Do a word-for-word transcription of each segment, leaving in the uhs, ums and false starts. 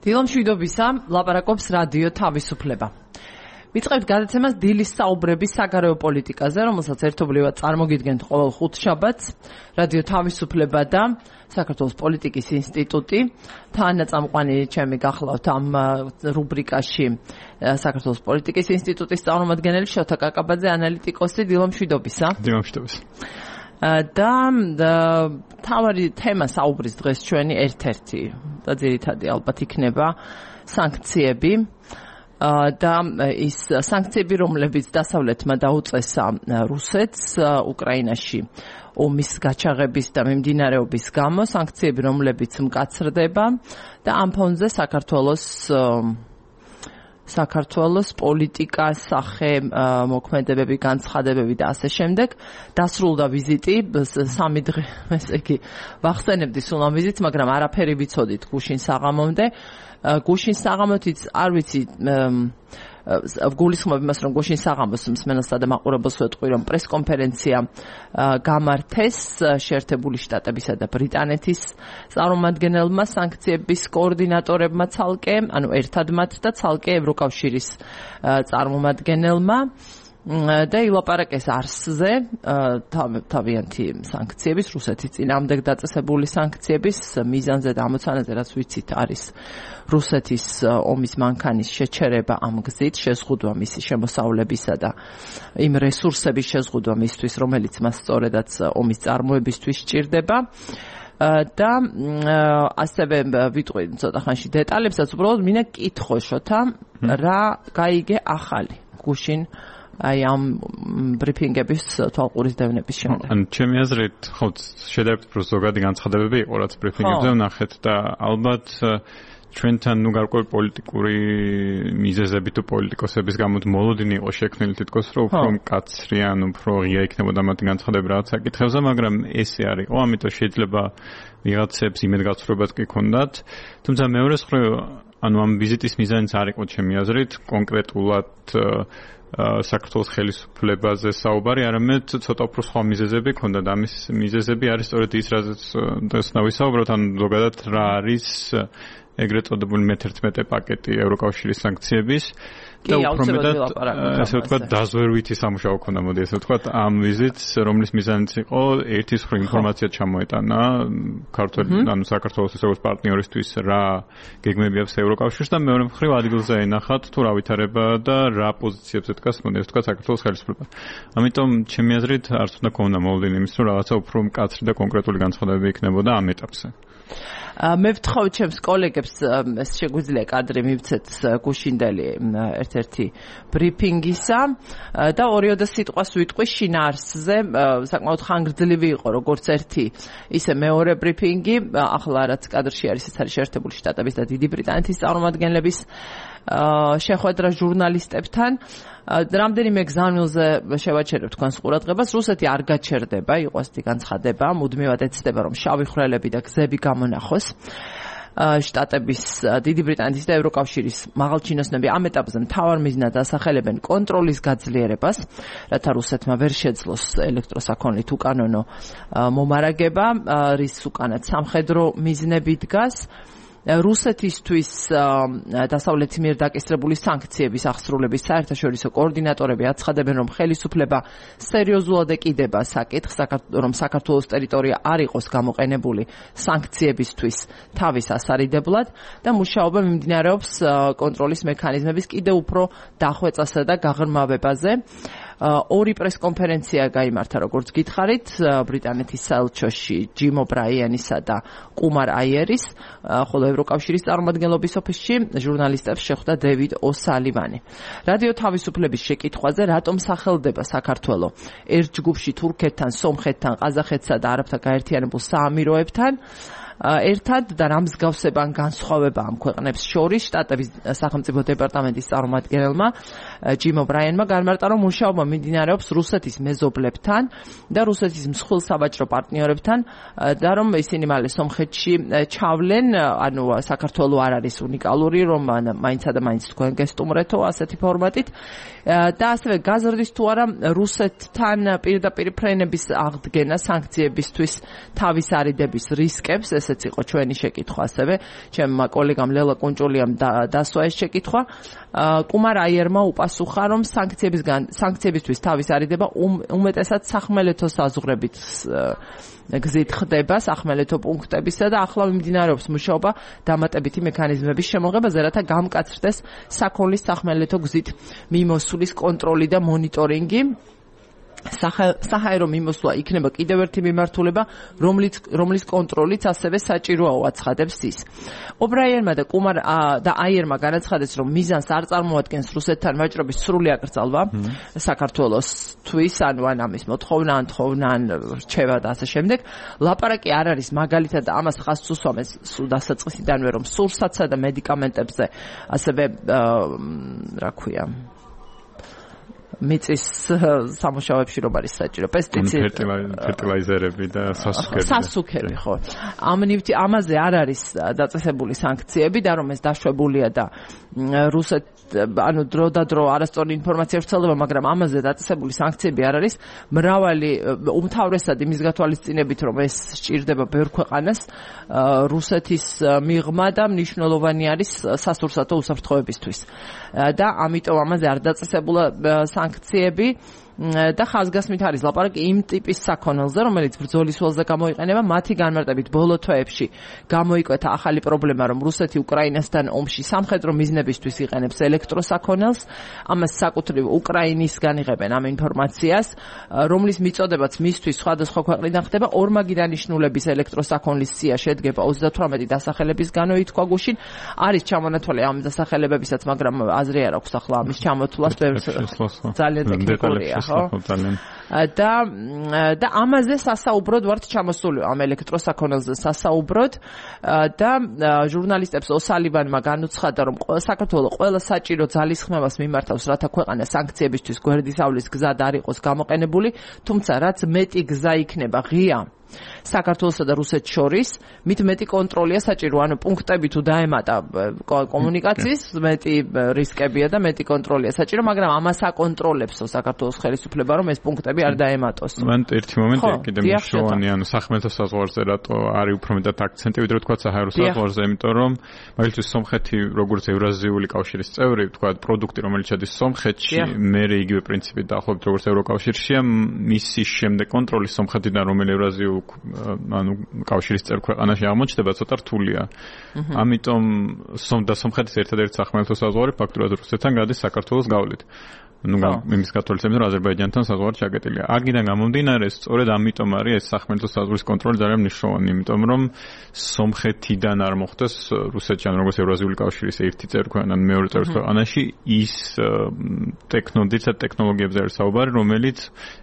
დილომშვიდობისა, ლაპარაკობს რადიო თავისუფლება. ვიწყებთ გადაცემას დილის საუბრების საგარეო პოლიტიკაზე, რომელსაც ერთობლივად წარმოგიდგენთ ყოველ ხუთშაბათს, რადიო თავისუფლება და საქართველოს პოლიტიკის ინსტიტუტი. თანაწამყვანი ჩემი გახლავთ ამ რუბრიკაში საქართველოს პოლიტიკის ინსტიტუტის წარმომადგენელი შოთა კაკაბაძე, ანალიტიკოსი. დილომშვიდობისა. დილომშვიდობისა. და თავარი თემა საუბრის დღეს ჩვენი ერთ-ერთი და ძირითადი ალბათ იქნება სანქციები და ის სანქციები, რომლებიც დასავლეთმა დაუწესა რუსეთს უკრაინაში ომის გაჩაღების და მიმდინარეობის გამო, სანქციები, რომლებიც მკაცრდება და ამ ფონზე საქართველოს საქართველოს პოლიტიკა, სახე, მოქმედებები, განცხადებები და ასე შემდეგ. დასრულდა ვიზიტი, სამი დღე, ესე იგი, ვახსენებდი სულ ამ ვიზიტს, მაგრამ არაფერი ვიცოდით გუშინ საღამომდე. გუშინ საღამოთიც არ ვიცი გულისხმობ იმას, რომ გუშინ საღამოს მსმენელსა და მაყურებელს ვეტყვი, რომ პრესკონფერენცია გამართეს შეერთებული შტატებისა და ბრიტანეთის წარმომადგენელმა, სანქციების კოორდინატორებმა ცალკე, ანუ ერთად მათ და ცალკე ევროკავშირის წარმომადგენელმა და ილაპარაკეს არსზე, თავიანთი სანქციების, რუსეთის წინააღმდეგ დაწესებული სანქციების მიზანზე და ამოცანაზე, რაც ვიცით, არის რუსეთის ომის მანქანის შეჩერება ამ გზით, შეზღუდვა მისი შემოსავლებისა და იმ რესურსების შეზღუდვა მისთვის, რომელიც მას სწორედაც ომის წარმოებისთვის სჭირდება. და ასევე ვიტყვი ცოტა ხანში დეტალებსაც, უბრალოდ მინდა კითხო შოთა, რა გაიგე ახალი გუშინ აი ამ ბრიფინგების თვალყურის დევნების შემდეგ. ან ჩემი აზრით, ხო, შედარებით უფრო ზოგადი განცხადებები იყო, რაც ბრიფინგებზე ვნახეთ და ალბათ ჩვენთან ნუ გარკვეული პოლიტიკური მიზეზები თუ პოლიტიკოსების გამო მოლოდინი იყო შექმნილი თითქოს, რომ უფრო მკაცრი ან უფრო ღია იქნებოდა მათი განცხადება რაღაც საკითხებზე, მაგრამ ესე არ იყო, ამიტომ შეიძლება ვიღაცებს იმედგაცრუებაც კი ქონდათ. თუმცა მეორე მხრივ, ანუ ამ ვიზიტის მიზანიც არ იყო ჩემი აზრით კონკრეტულად საქართველოს ხელისუფლებაზე საუბარი, არამედ ცოტა უფრო სხვა მიზეზები ქონდა და ამის მიზეზები არის სწორედ ის, რაზეც დღეს ვისაუბროთ, ან ზოგადად რა არის ეგრეთ წოდებული მეთერთმეტე პაკეტი ევროკავშირის სანქციების და უფრო მეტად ასე ვთქვათ დაზვერვითი სამუშაო ქონდა, მოდი ასე ვთქვათ, ამ ვიზიტს, რომლის მიზანიც იყო ერთის მხრივ ინფორმაცია ჩამოეტანა ქართულ, ანუ საქართველოს როგორც პარტნიორისთვის რა გეგმები აქვს ევროკავშირს და მეორე მხრივ ადგილზე ენახათ თუ რა ვითარება და რა პოზიციებზე დგას, მოდი ასე ვთქვათ, საქართველოს ხელისუფლება. ამიტომ ჩემი აზრით არც უნდა ქონდა მოლოდინი იმის, რომ რაღაცა უფრო მკაცრი და კონკრეტული განცხადებები იქნებოდა ამ ეტაპზე. მე ვთხოვ ჩემს კოლეგებს შეგვიძლია კადრი მივცეთ გუშინდელი ერთ-ერთი ბრიფინგისა და ორიოდე სიტყვას ვიტყვი შინაარსზე, საკმაოდ ხანგრძლივი იყო როგორც ერთი, ისე მეორე ბრიფინგი, ახლა რაც კადრში არის, ეს არის შეერთებული შტატების და დიდი ბრიტანეთის წარმომადგენლების შეხვედრა ჟურნალისტებთან. რამდენიმე გზავნილზე შევაჩერებ თქვენს ყურადღებას, რუსეთი არ გაჩერდება, იყო ასეთი განცხადება, მუდმივად ეცდება, რომ შავი ხვრელები და გზები გამონახოს. შტატების, დიდი ბრიტანეთის და ევროკავშირის მაღალჩინოსნები ამ ეტაპზე მთავარ მიზნად ასახელებენ კონტროლის გაძლიერებას, რათა რუსეთმა ვერ შეძლოს ელექტროსაქონლით უკანონო მომარაგება, რის უკანაც სამხედრო მიზნები დგას. რუსეთისთვის დასავლეთის მიერ დაკისრებული სანქციების აღსრულების საერთაშორისო კოორდინატორები აცხადებენ, რომ ხელისუფლება სერიოზულად ეკიდება საკითხს, რომ საქართველოს ტერიტორია არ იყოს გამოყენებული სანქციებისთვის თავის ასარიდებლად და მუშაობა მიმდინარეობს კონტროლის მექანიზმების კიდევ უფრო დახვეწასა და გაღრმავებაზე. ორი პრესკონფერენცია გაიმართა, როგორც გითხარით, ბრიტანეთის საელჩოში ჯიმ ობრაიანისა და კუმარ აიერის, ხოლო ევროკავშირის წარმომადგენლობის ოფისში ჟურნალისტებს შეხვდა დევიდ ოსალივანი. რადიო თავისუფლების შეკითხვაზე, რატომ სახელდება საქართველო ერთ ჯგუფში თურქეთთან, სომხეთთან, ყაზახეთსა და არაბთა გაერთიანებულ საამიროებთან, ერთად და რა მსგავსება ან განსხვავება ამ ქვეყნებს შორის, შტატების სახელმწიფო დეპარტამენტის წარმომადგენელმა ჯიმ ობრაიანმა განმარტა, რომ მუშაობა მიმდინარეობს რუსეთის მეზობლებთან და რუსეთის მსხვილ სავაჭრო პარტნიორებთან და რომ ისინი მალე სომხეთში ჩავლენ, ანუ საქართველო არ არის უნიკალური, რომ მაინცა და მაინც თქვენ გესტუმრეთო ასეთი ფორმატით და ასევე გაზრდის თუ არა რუსეთთან პირდაპირ ფრენების აღდგენა სანქციებისთვის თავის არიდების რისკებს, ესე ესეც იყო ჩვენი შეკითხვა ასევე ჩემმა კოლეგამ ლელა კუნჭულიამ დასვა ეს შეკითხვა კუმარ აიერმა უპასუხა რომ სანქციებისგან სანქციებისთვის თავის არიდება უმეტესად სახმელეთო საზღვრებით გზით ხდება სახმელეთო პუნქტებისა და ახლა მიმდინარეობს მუშაობა დამატებითი მექანიზმების შემოღებაზე, რათა გამკაცრდეს საქონლის სახმელეთო გზით მიმოსვლის კონტროლი და მონიტორინგი. საჰაერო მიმოსვლა იქნება კიდევ ერთი მიმართულება, რომლის რომლის კონტროლიც ასევე საჭიროა აცხადებს ის. ობრაიერმა და კუმარ და აიერმა განაცხადეს, რომ მიზანს არ წარმოადგენს რუსეთთან ვაჭრობის სრული აკრძალვა საქართველოსთვის, ანუ ან ამის მოთხოვნა, ან თხოვნა, ან რჩევა და ასე შემდეგ. ლაპარაკი არ არის მაგალითად ამას ხაზს უსვამეს სულ დასაწყისიდანვე, რომ სურსათსა და მედიკამენტებზე ასევე რა ქვია მიწის სამუშაოებში რომ არის საჭირო პესტიციდები, ფერტილაიზერები და სასუქები. სასუქები, ხო. ამ ნივთი ამაზე არ არის დაწესებული სანქციები და რომ ეს დაშვებულია და რუსეთ ანუ დრო და დრო არასწორი ინფორმაცია ვრცელდება, მაგრამ ამაზე დაწესებული სანქციები არ არის. მრავალი უმთავრესად იმის გათვალისწინებით, რომ ეს სჭირდება ბევრ ქვეყანას, რუსეთის მიღმა და მნიშვნელოვანი არის სასურსათო უსაფრთხოებისთვის. და ამიტომ ამაზე არ დაწესებულა სანქციები და ხაზგასმით არის ლაპარაკი იმ ტიპის საქონელზე, რომელიც ბრძოლის ველზე გამოიყენება, მათი განმარტებით ბოლო თვეებში გამოიკვეთა ახალი პრობლემა, რომ რუსეთი უკრაინასთან ომში სამხედრო მიზნებისთვის იყენებს ელექტროსაქონელს, ამას საკუთრივ უკრაინისგან იღებენ ამ ინფორმაციას, რომლის მიწოდებაც მისთვის სხვადასხვა ქვეყნიდან ხდება. ორმაგი დანიშნულების ელექტროსაქონლის სია შედგება ოცდათვრამეტი დასახელებისგანო ითქვა გუშინ, არის ჩამონათვალი ამ დასახელებებისაც, მაგრამ აზრი არ აქვს ახლა ამის ჩამოთვლას, ძალიან ტექნიკურია. და და ამაზე სასაუბროდ ვართ ჩამოსული ამ ელექტროსაქონელზე სასაუბროდ და ჟურნალისტებს ოსალივანმა განუცხადა, რომ საქართველოს ყველა საჭირო ძალისხმევას მიმართავს, რათა ქვეყანა სანქციებისთვის გვერდისავლის გზად არ იყოს გამოყენებული, თუმცა რაც მეტი გზა იქნება ღია საქართველოსა და რუსეთს შორის, მით მეტი კონტროლია საჭირო, ანუ პუნქტები თუ დაემატა კომუნიკაციის, მეტი რისკებია და მეტი კონტროლია საჭირო, მაგრამ ამას აკონტროლებსო საქართველოს ხელისუფლება, რომ ეს პუნქტები არ დაემატოს. მან ერთი მომენტი კიდე მნიშვნელოვანი, ანუ სახმელეთო საზღვარზე რატო არის უფრო მეტად აქცენტი, ვიდრე თქვა საჰაერო საზღვარზე, იმიტომ რომ მაგალითად სომხეთი როგორც ევრაზიული კავშირის წევრი, თქვა პროდუქტი, რომელიც შედის სომხეთში, მერე იგივე პრინციპით დაახლოებით როგორც ევროკავშირშია, მისი შემდეგ კონტროლი სომხეთიდან, რომელიც ევრაზიულ ანუ კავშირის წევრ ქვეყანაში აღმოჩნდება, ცოტა რთულია. ამიტომ სომდა სომხეთის ერთადერთი სახმელეთო საზღვარი ფაქტურად რუსეთთან გადის საქართველოს გავლით. ну იმის გათვალისწინებით, რომ აზერბაიჯანთან საზღვარი ჩაკეტილია. აქედან გამომდინარე, სწორედ ამიტომ არის ეს სახმელეთო საზღვრის კონტროლი ძალიან მნიშვნელოვანი, იმიტომ რომ სომხეთიდან არ მოხდეს რუსეთში, ან როგორც ევრაზიული კავშირის ერთი წევრი ქვეყანა, მეორე წევრი ქვეყანაში ის ტექნოლოგიათა ტექნოლოგიებზე არის საუბარი, რომელიც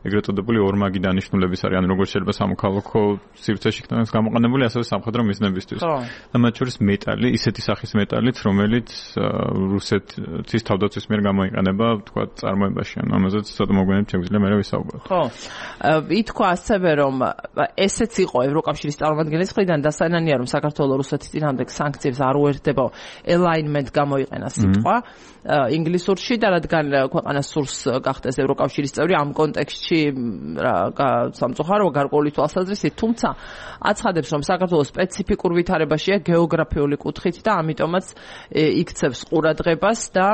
ეგრეთ წოდებული ორმაგი დანიშნულების არის, ან როგორც შეიძლება სამოქალაქო სივრცეში იქნას გამოყენებული, ასევე სამხედრო მიზნებისთვის. და მათ შორის მეტალი, ისეთი სახის მეტალით, რომელიც რუსეთის თავდაცვის მიერ გამოიყენება, თქვა წარმოებაში, ანუ ამაზეც ცოტა მოგვიანებით შეგვიძლია მე ვისაუბროთ. ხო. ითქვა ასევე, რომ ესეც იყო ევროკავშირის წარმომადგენლის მხრიდან დასანანია, რომ საქართველოს რუსეთის წინააღმდეგ სანქციებს არ უერთდება, alignment გამოიყენა სიტყვა ინგლისურში და რადგან ქვეყანას სურს გახდეს ევროკავშირის წევრი, ამ კონტექსტში სამწუხაროა გარკვეული თვალსაზრისით, თუმცა აცხადებს, რომ საქართველოს სპეციფიკურ ვითარებაშია გეოგრაფიული კუთხით და ამიტომაც იქცევს ყურადღებას და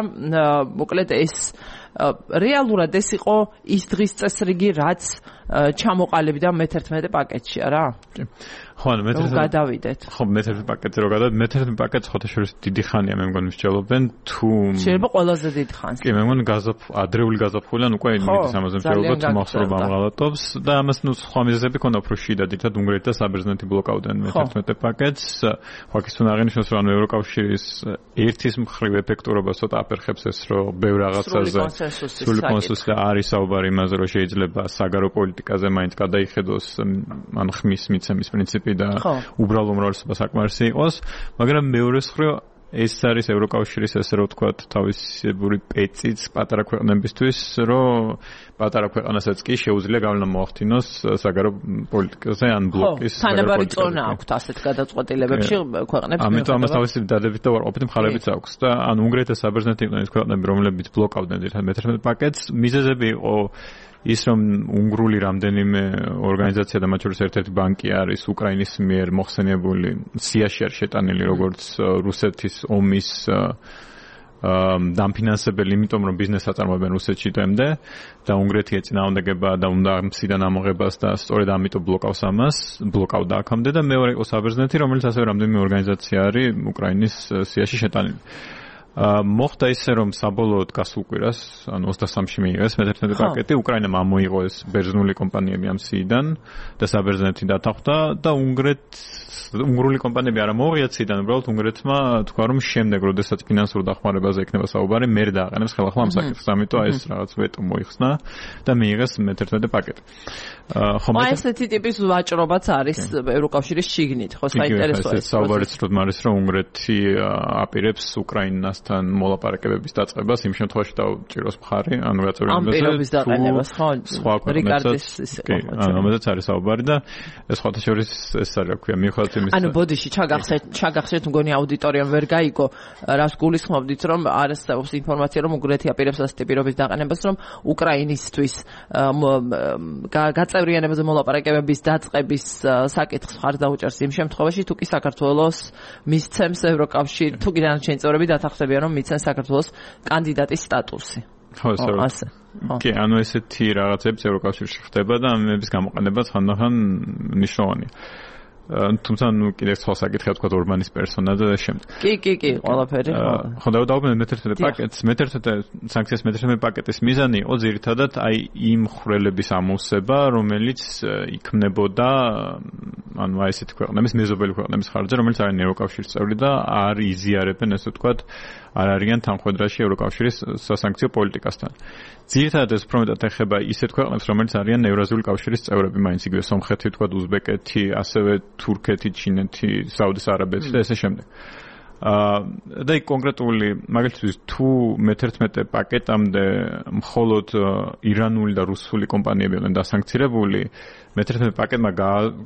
მოკლედ ეს რეალურად ეს იყო ის დღის წესრიგი, რაც ჩამოყალიბდა მეთერთმეტე პაკეტში, არა? ხო, ანუ მეთერთმეტე გადავიდეთ. ხო, მეთერთმეტე პაკეტზე რო გადავიდეთ, მეთერთმეტე პაკეტს ხოთაშორის დიდი ხანია მე მგონი მსჯელობენ, თუ შეიძლება ყველაზე დიდ ხანს. კი, მე მგონი გაზაფ ადრეული გაზაფხულიდან უკვე იმის ამაზე მსჯელობთ, მახსოვს ამღალატობს და ამას ნუ სხვა მიზეზები ქონდა უფრო შიდა, დიდად უნგრეთი და საბერძნეთი ბლოკავდნენ მეთერთმეტე პაკეტს. ხო, აქ ის უნდა აღინიშნოს, რომ ევროკავშირის ერთის მხრივ ეფექტურობა ცოტა აფერხებს ეს, რომ ბევრ რაღაცაზე სრული კონსენსუსი და არის საუბარი იმაზე, რომ შეიძლება საგარეო პოლიტიკაზე მაინც გადაიხედოს, ან ხმის მიცემის პრინციპი და უბრალო უმრავლესობა საკმარისი იყოს, მაგრამ მეორე მხრივ ეს არის ევროკავშირის ესე რომ ვთქვათ თავისებური პეციც პატარა ქვეყნებისთვის, რომ პატარა ქვეყანასაც კი შეუძლია გავლენა მოახდინოს საგარეო პოლიტიკაზე ან ბლოკის თანაბარი წონა აქვს ასეთ გადაწყვეტილებებში ქვეყნებს. ამიტომ ამას თავისებური დადებით და უარყოფითი მხარეებიც აქვს და ან უნგრეთი და საბერძნეთი იყვნენ ქვეყნები, რომლებიც ბლოკავდნენ ერთად მეთერთმეტე პაკეტს. მიზეზები იყო ის რომ უნგრული რამდენიმე ორგანიზაცია და მათ შორის ერთ-ერთი ბანკი არის უკრაინის მიერ მოხსენიებული სიაში არის შეტანილი როგორც რუსეთის ომის დამფინანსებელი, იმიტომ რომ ბიზნესს აწარმოებენ რუსეთში დღემდე და უნგრეთი ეწინააღმდეგება და უნდა მციდან ამოღებას და სწორედ ამიტომ ბლოკავს ამას, ბლოკავდა აქამდე და მეორე იყო საბერძნეთი, რომელიც ასევე რამდენიმე ორგანიზაცია არის უკრაინის სიაში შეტანილი. მოხდა ისე რომ საბოლოოდ გასულ კვირას, ანუ ოცდასამში მიიღეს მეთერთმეტე პაკეტი, უკრაინამ ამოიღო ეს ბერძნული კომპანიები ამ სიიდან და საბერძნეთი დათანხმდა და უნგრეთს უნგრული კომპანიები არ მოუღიათ სიდან, უბრალოდ უნგრეთმა თქვა რომ შემდეგ, როდესაც ფინანსურ დახმარებაზე ექნება საუბარი, მერე დააყენებს ხელახლა ამ საკითხს. ამიტომ ეს რაღაც ვეტო მოიხსნა და მიიღეს მეთერთმეტე პაკეტი. ხო, აი ესეთი ტიპის ვაჭრობაც არის ევროკავშირის შიგნით, ხო, საინტერესოა. ეს საუბარიც რომ არის რომ უნგრეთი აპირებს უკრაინასთან მოლაპარაკებების დაწყებას, იმ შემთხვევაში დაუჭიროს მხარი, ანუ გაწევრიანებას. ამ პირობის დაყენებას, ხო, რიკარდის ისე. კი, ამაზეც არის საუბარი და ეს ხოთა შორის ეს არის, რა ქვია, მიუხედავად ანუ ბოდიში ჩაგახსენეთ, ჩაგახსენეთ მგონი აუდიტორიამ ვერ გაიგო, რას გულისხმობდით, რომ არსებობს ინფორმაცია, რომ უნგრეთი აპირებს ასეთი პირობის დაყენებას, რომ უკრაინისთვის გაწევრიანებაზე მოლაპარაკებების დაწყების საკითხს მხარს დაუჭერს იმ შემთხვევაში, თუ კი საქართველოს მისცემს ევროკავშირი, თუ კი დანარჩენი წევრები დათანხმდებიან, რომ მისცემს საქართველოს კანდიდატის სტატუსი. ხო, ასე. კი, ანუ ესეთი რაღაცებიც ევროკავშირში ხდება და ამების გამოყენება ხანდახან მნიშვნელოვანია. თუმცა ნუ კიდევ სხვა საკითხია თქვა ორმანის პერსონა და შემდეგ. კი, კი, კი, ყველაფერი. ხო, დავდაობენ მეთერთმეტე პაკეტს, მეთერთმეტე სანქციას მეთერთმეტე პაკეტის მიზანი იყო ძირითადად აი იმ ხვრელების ამოვსება, რომელიც იქმნებოდა ანუ აი ესეთი ქვეყნების, მეზობელი ქვეყნების ხარჯზე, რომელიც არიან ევროკავშირის წევრი და არ იზიარებენ ესე ვთქვათ, არ არიან თანხმდრაში ევროკავშირის სასანქციო პოლიტიკასთან. ძირითადად ეს უფრო მეტად ეხება ისეთ ქვეყნებს, რომელიც არიან ევრაზიული კავშირის წევრები, მაინც იგივე სომხეთი, ვთქვათ, უზბეკეთი, ასევე თურქეთი, ჩინეთი, საუდის არაბეთი და ესე შემდეგ. აა და კონკრეტული მაგალითად თუ მეთერთმეტე პაკეტამდე მხოლოდ ირანული და რუსული კომპანიები იყვნენ დასანქცირებული, მეთერთმეტე პაკეტმა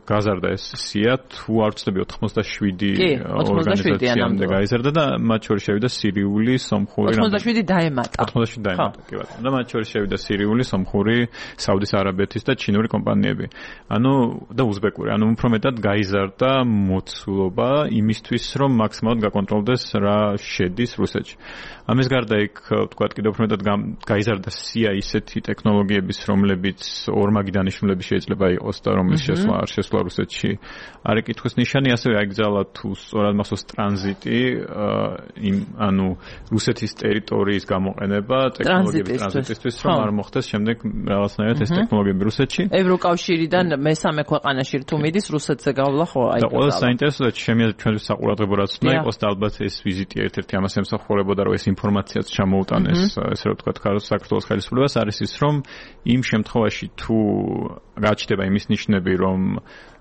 გაზარდა ეს სია, თუ არ ვცდები ოთხმოცდაშვიდი ორგანიზაციამდე გაიზარდა და მათ შორის შევიდა სირიული, სომხური, ოცდაშვიდი დაემატა. ოცდაშვიდი დაემატა, კი ბატონო. და მათ შორის შევიდა სირიული, სომხური, საუდის არაბეთის და ჩინური კომპანიები. ანუ და უზბეკური. ანუ უფრო მეტად გაიზარდა მოცულობა იმისთვის, რომ მაქსიმალურად გაკონტროლდეს რა შედის რუსეთში. ამის გარდა იქ ვთქვათ კიდევ უფრო მეტად გაიზარდა სია ისეთი ტექნოლოგიების, რომლებიც ორმაგი დანიშნულები შეიძლება იყოს და რომლის შესვლა არ შესვლა რუსეთში არის კითხვის ნიშანი, ასევე აიგზავნა თუ სწორად მახსოვს ტრანზიტი, იმ ანუ რუსეთის ტერიტორიის გამოყენება ტექნოლოგიების ტრანზიტისთვის, რომ არ მოხდეს შემდეგ რაღაცნაირად ეს ტექნოლოგიები რუსეთში. ევროკავშირიდან მესამე ქვეყანაში თუ მიდის რუსეთზე გავლა ხო აი. და ყველა საინტერესოა შემიძლია ჩვენთვის საყურადღებო რაც უნდა იყოს და ალბათ ეს ვიზიტი ერთ-ერთი ამას ემსახურებოდა, რომ ეს ინფორმაციაც ჩამოუტანეს, ესე რომ ვთქვათ, საქართველოს ხელისუფლებას, არის ის, რომ იმ შემთხვევაში თუ გაჩნდება იმის ნიშნები, რომ